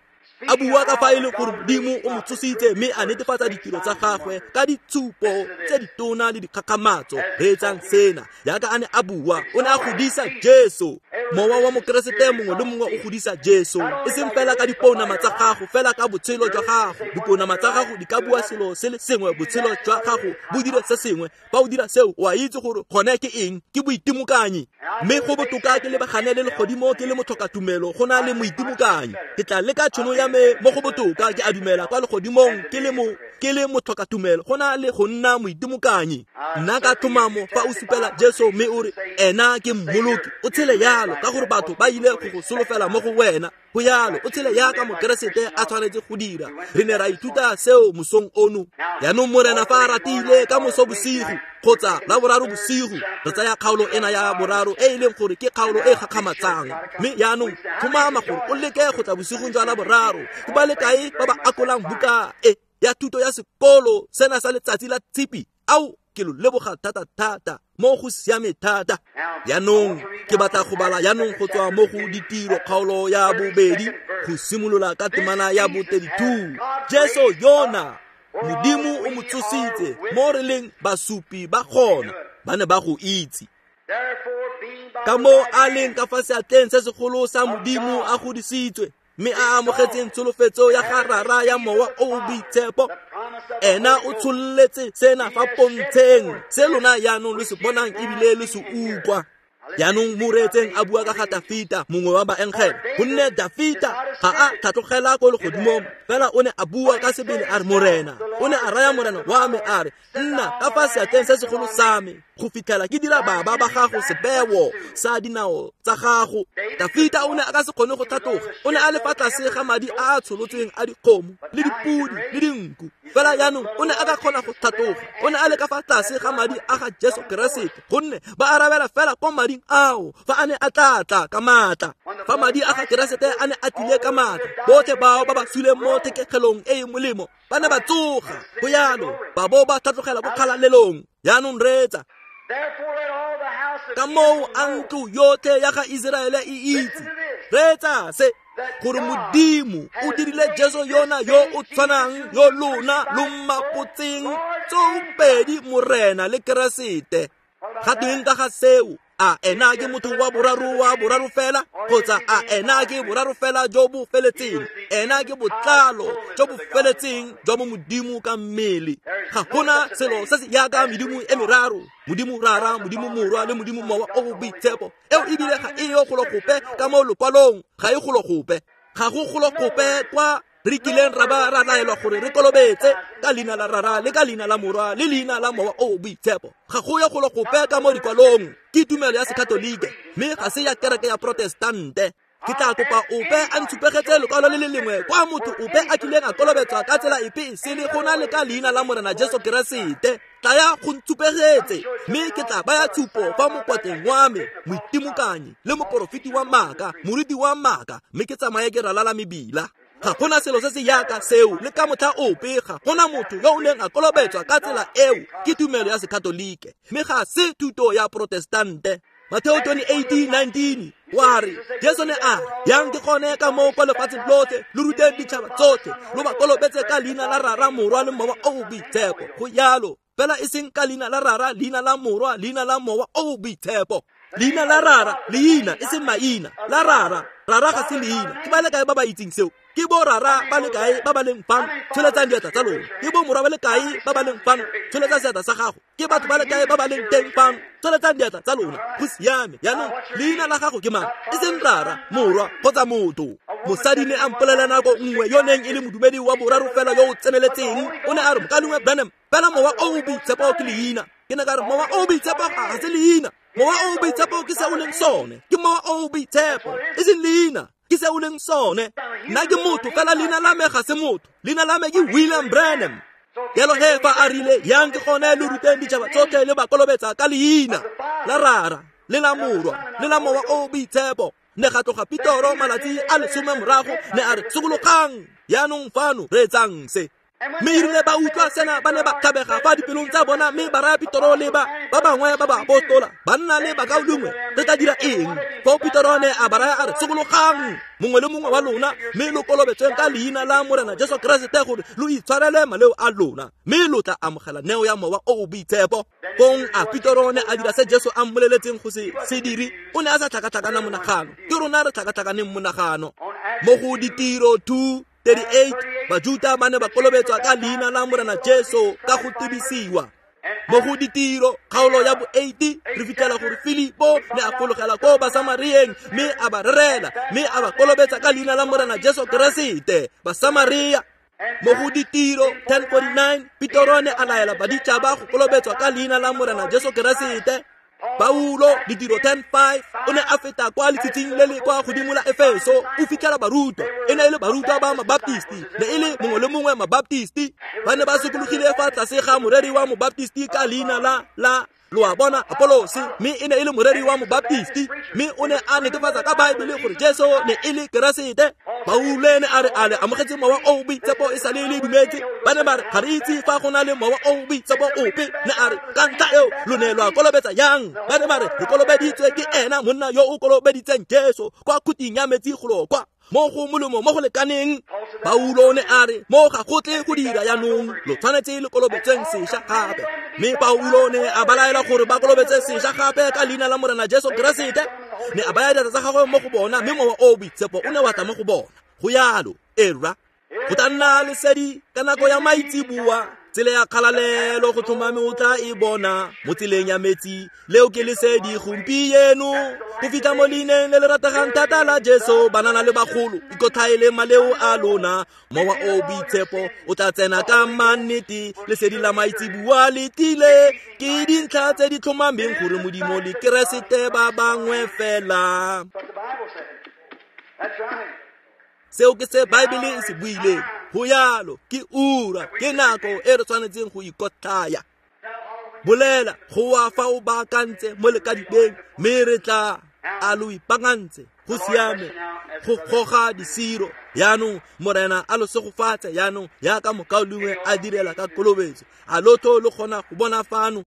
A bua ka fa e le gore Modimo o mo tsositse mme a netefatsa ditiro tsa gagwe ka ditshupo tse ditona le dikgakgamatso. Reetsang sena, jaaka a ne a bua, o ne a godisa Jesu. Mowa wa mokeresete mongwe le mongwe o godisa Jesu, e seng fela ka dipounama tsa gago, fela ka botshelo jwa gago. Dipounama tsa gago di ka bua selo se le sengwe, botshelo jwa gago bo dire se sengwe. Fa o dira seo, o a itse gore gone ke eng, ke boitimokanyi. Mme go botoka ke lebagane le legodimo ke le motlhokatumelo go na le moitimokanyi. Ke tla leka tšhono ya me mo go botoka ke a dumela kwa legodimong ke le motlhokatumelo go na le go nna moitimokanyi. Nna ka tlhomamo fa o supela Jesu mme o re ena ke mmoloki, o tshele yalo ka gore batho ba ile go go solofela mo go wena. Go yalo, o tshele yaka mokeresete a tshwanetse go dira. Re ne ra ithuta seo mosong ono. Jaanong Morena fa a ratile, ka moso bosigo kgotsa la boraro bosigo, re tsaya kgaolo ena ya boraro e e leng gore ke kgaolo e gakgamatsang. Mme jaanong tlhomama gore o leke go tla bosigong jwa la boraro. Ke ba le kae ba ba akolang buka e ya thuto ya sekolo sena sa letsatsi la Tshipi? Ao, ke lo leboga thata-thata, mo go siame thata. Jaanong ke batla go bala jaanong go tswa mo go Ditiro kgaolo ya bobedi go simolola ka temana ya bo-32. Jesu yona Modimo o mo tsositse, mo re leng basupi ba gona, ba ne ba go itse. Ka moo a leng ka fa seatleng se segolo sa Modimo a godisitswe, mme a amogetseng tsholofetso ya ga Rara ya Mowa o o Boitshepo. Ena o tshololetse sena fa pontsheng, se lona jaanong lo se bonang ebile lo se utlwa. Jaanong mo reetseng a bua ka ga Dafita, mongwe wa baengele, gonne Dafita ga a tlhatlogela ko legodimong, fela o ne a bua ka sebele a re, Morena o ne a raya Morena wa me a re, nna ka fa seatleng se segolo sa me go fitlhela ke dira baba ba gago sebeo sa dinao tsa gago. Dafita o ne a ka se kgone go tlhatloga, o ne a le fa tlase ga madi a a tsholotsweng a dikgomo le dipudi le dinku, fela jaanong o ne a ka kgona go tlhatloga, o ne a le ka fa tlase ga madi a ga Jesu Keresete, gonne ba arabela fela ko mading ao fa a ne a tla tla ka maatla. Fa madi a ga Keresete a ne a tlile ka maatla, botlhe bao ba ba suleng mo thekegelong e e molemo ba ne ba tsoga, go yalo ba bo ba tlhatlogela ko kgalalelong. Jaanong reetsa, ka moo a ntlo yotlhe ya ga Iseraele e itse, reetsa se, gore Modimo o dirile Jesu yona yo o tshwanang yo lona lo mmapotseng tsoopedi Morena le Keresete. Ga tweng ka ga seo? A ena ke motho wa boraro fela, kgotsa a ena ke boraro fela jo bo feletseng? Ena ke botlalo jo bo feletseng jwa mo Modimo ka mmele. Ga gona selo se se jaaka medimo e meraro, Modimo Rara, Modimo Morwa le Modimo Mowa o o Boitshepo. Eo ebile ga e yo golo gope ka mo lokwalong, ga e golo gope. Ga go golo gope kwa re kileng ra ba ra laelwa gore re kolobetse ka leina la Rara le ka leina la Morwa le leina la Mowa o o Boitshepo. Ga go yo golo gope ka mo dikwalong. Ke tumelo ya Sekatolike, mme ga se ya kereke ya Protestante. Ke tla kopa ope a ntshupegetse lekwalo le le lengwe kwa motho ope a kileng a kolobetswa ka tsela epe e sele go na le ka leina la Morena Jesu Keresete. Tlaya go ntshupegetse, mme ke tla baya tshupo fa mokwatleng wa me, moitimokanyi le moporofeti wa maaka, moruti wa maaka, mme ke tsamaye ke ralala mebila. Ga gona selo se se jaaka seo le ka motlha ope. Ga gona motho yo o neng a kolobetswa ka tsela eo. Ke tumelo ya Sekatolike, mme ga se thuto ya Protestante. Mateo 28:19 wa re, Jesu ne a re, yang ke gone ka moo kwa lefatsheng lotlhe lo ruteng ditšhaba tsotlhe, lo ba kolobetse ka leina la Rara, Morwa le Mowa o o Boitshepo. Go yalo, fela e seng ka leina la Rara, leina la Morwa, leina la Mowa o o Boitshepo. Leina la Rara, leina e seng maina, la Rara. Rara ga se leina. Ke ba le kae ba ba itseng seo? Ke bo Rara ba le kae ba ba leng fano? Tsholetsang diatla tsa lona. Ke bo Morwa ba le kae ba ba leng fano? Tsholetsa seatla sa gago. Ke batho ba le kae ba ba leng teng fano? Tsholetsang diatla tsa lona. Go siame. Jaanong leina la gago ke mang? E seng Rara, Morwa kgotsa motho. Mosadi ne a mpolelela nako nngwe yo neng e le modumedi wa boraro fela yo o tseneletseng. O ne a re, Mokaulengwe Branham, fela Mowa o o Boitshepo ke leina. Ke ne ka re, Mowa o o Boitshepo ga se leina. Mowa o o Boitshepo ke se o leng sone. Ke Mowa o o Boitshepo, e seng leina. Ke se o leng sone. Nna ke motho, fela leina la me ga se motho. Leina la me ke William Branham. Jalo he fa a rile, yang ke gone lo ruteng ditšhaba tsotlhe le ba kolobetsa ka leina la Rara le la Morwa le la Mowa o o Boitshepo. Ne ga tloga Petoro malatsi a 10 morago, ne a re, sokologang jaanong fano, reetsang se. Mme erile ba utlwa sena ba ne ba tlhabega fa dipelong tsa bona, mme ba raya Petoro le ba bangwe ba baapostola, banna le bakaulengwe, re tla dira eng? Foo Petoro ne a ba raya a re, sokologang mongwe le mongwe wa lona, mme lo kolobetsweng ka leina la Morena Jesu Keresete gore lo itshwarele maleo a lona, mme lo tla amogela neo ya Mowa o o Boitshepo. Fong a Petoro ne a dira se Jesu a mmoleletseng go se dire? O ne a sa tlhakatlhakana monagano. Ke rona re tlhakatlhakaneng monagano. Mo go Ditiro 2:38, Bajuta ba ne ba kolobetswa ka leina la Morena Jesu ka go tibisiwa. Mo go Ditiro kgaolo ya bo 8, re fitlhela gore Filipo ne a fologela ko Basamarieng mme a ba rerela, mme a ba kolobetsa ka leina la Morena Jesu Keresete. Basamaria. Mo go Ditiro 10:49, Petoro ne a laela baditšhaba go kolobetswa ka leina la Morena Jesu Keresete. Paulo, Ditiro 10:5, o ne a feta kwa letshitshing le le kwa godimo la Efeso, o fitlhela barutwa. E ne e le barutwa ba Mabaptisti, ne e le mongwe le mongwe Mabaptisti. Ba ne ba sokologile fa tlase ga moreri wa Mobaptisti ka leina la lo a bona, Apolose, mme e ne e le moreri wa Mobaptisti, mme o ne a netefatsa ka Baebele gore Jesu ne e le Keresete. Paulo ne a re, a le amogetse Mowa o o Boitshepo e sale le dumetse? Ba ne ba re, ga re itse fa go na le Mowa o o Boitshepo ope. Ne a re, ka ntlha eo lo ne lwa kolobetsa yang? Ba ne ba re, re kolobeditswe ke ena monna yo o kolobeditseng Jesu kwa khuting ya metsi golo kwa. Mo go molemo mo go lekaneng. Paulo o ne a re mo ga go tle go dira jaanong, lo tshwanetse le kolobetseng sešwa gape. Mme Paulo o ne a ba laela gore ba kolobetse sešwa gape ka leina la Morena Jesu Keresete. Ne a baya diatla tsa gagwe mo go bona, mme Mowa o o Boitshepo o ne wa tla mo go bona. Go yalo, erra. Go tla nna lesedi ka nako ya maitseboa, tsela ya kgalalelo go tlhomame o tla e bona mo tseleng ya metsi. Leo ke lesedi gompieno, go fitlha mo leineng le le rategang thata la Jesu. Banana le bagolo, ikotlhaele maleo a lona, Mowa o Boitshepo o tla tsena ka mannete. Lesedi la maitseboa le tlile, ke dintlha tse di tlhomameng gore Modimo le Keresete ba bangwe fela. What the Bible said. That's right. Seo ke se Baebele e se buileng. Go yalo, ke ura, ke nako e re tshwanetseng go ikotlhaya. Bolela go wa fa o baakantse mo lekadibeng, mme re tla a lo ipaakantse. Go siame go goga disiro. Yaanong Morena a lo segofatse yaanong, yaka mokaulengwe a direla ka kolobetso. A lotho lo kgona go bona fano?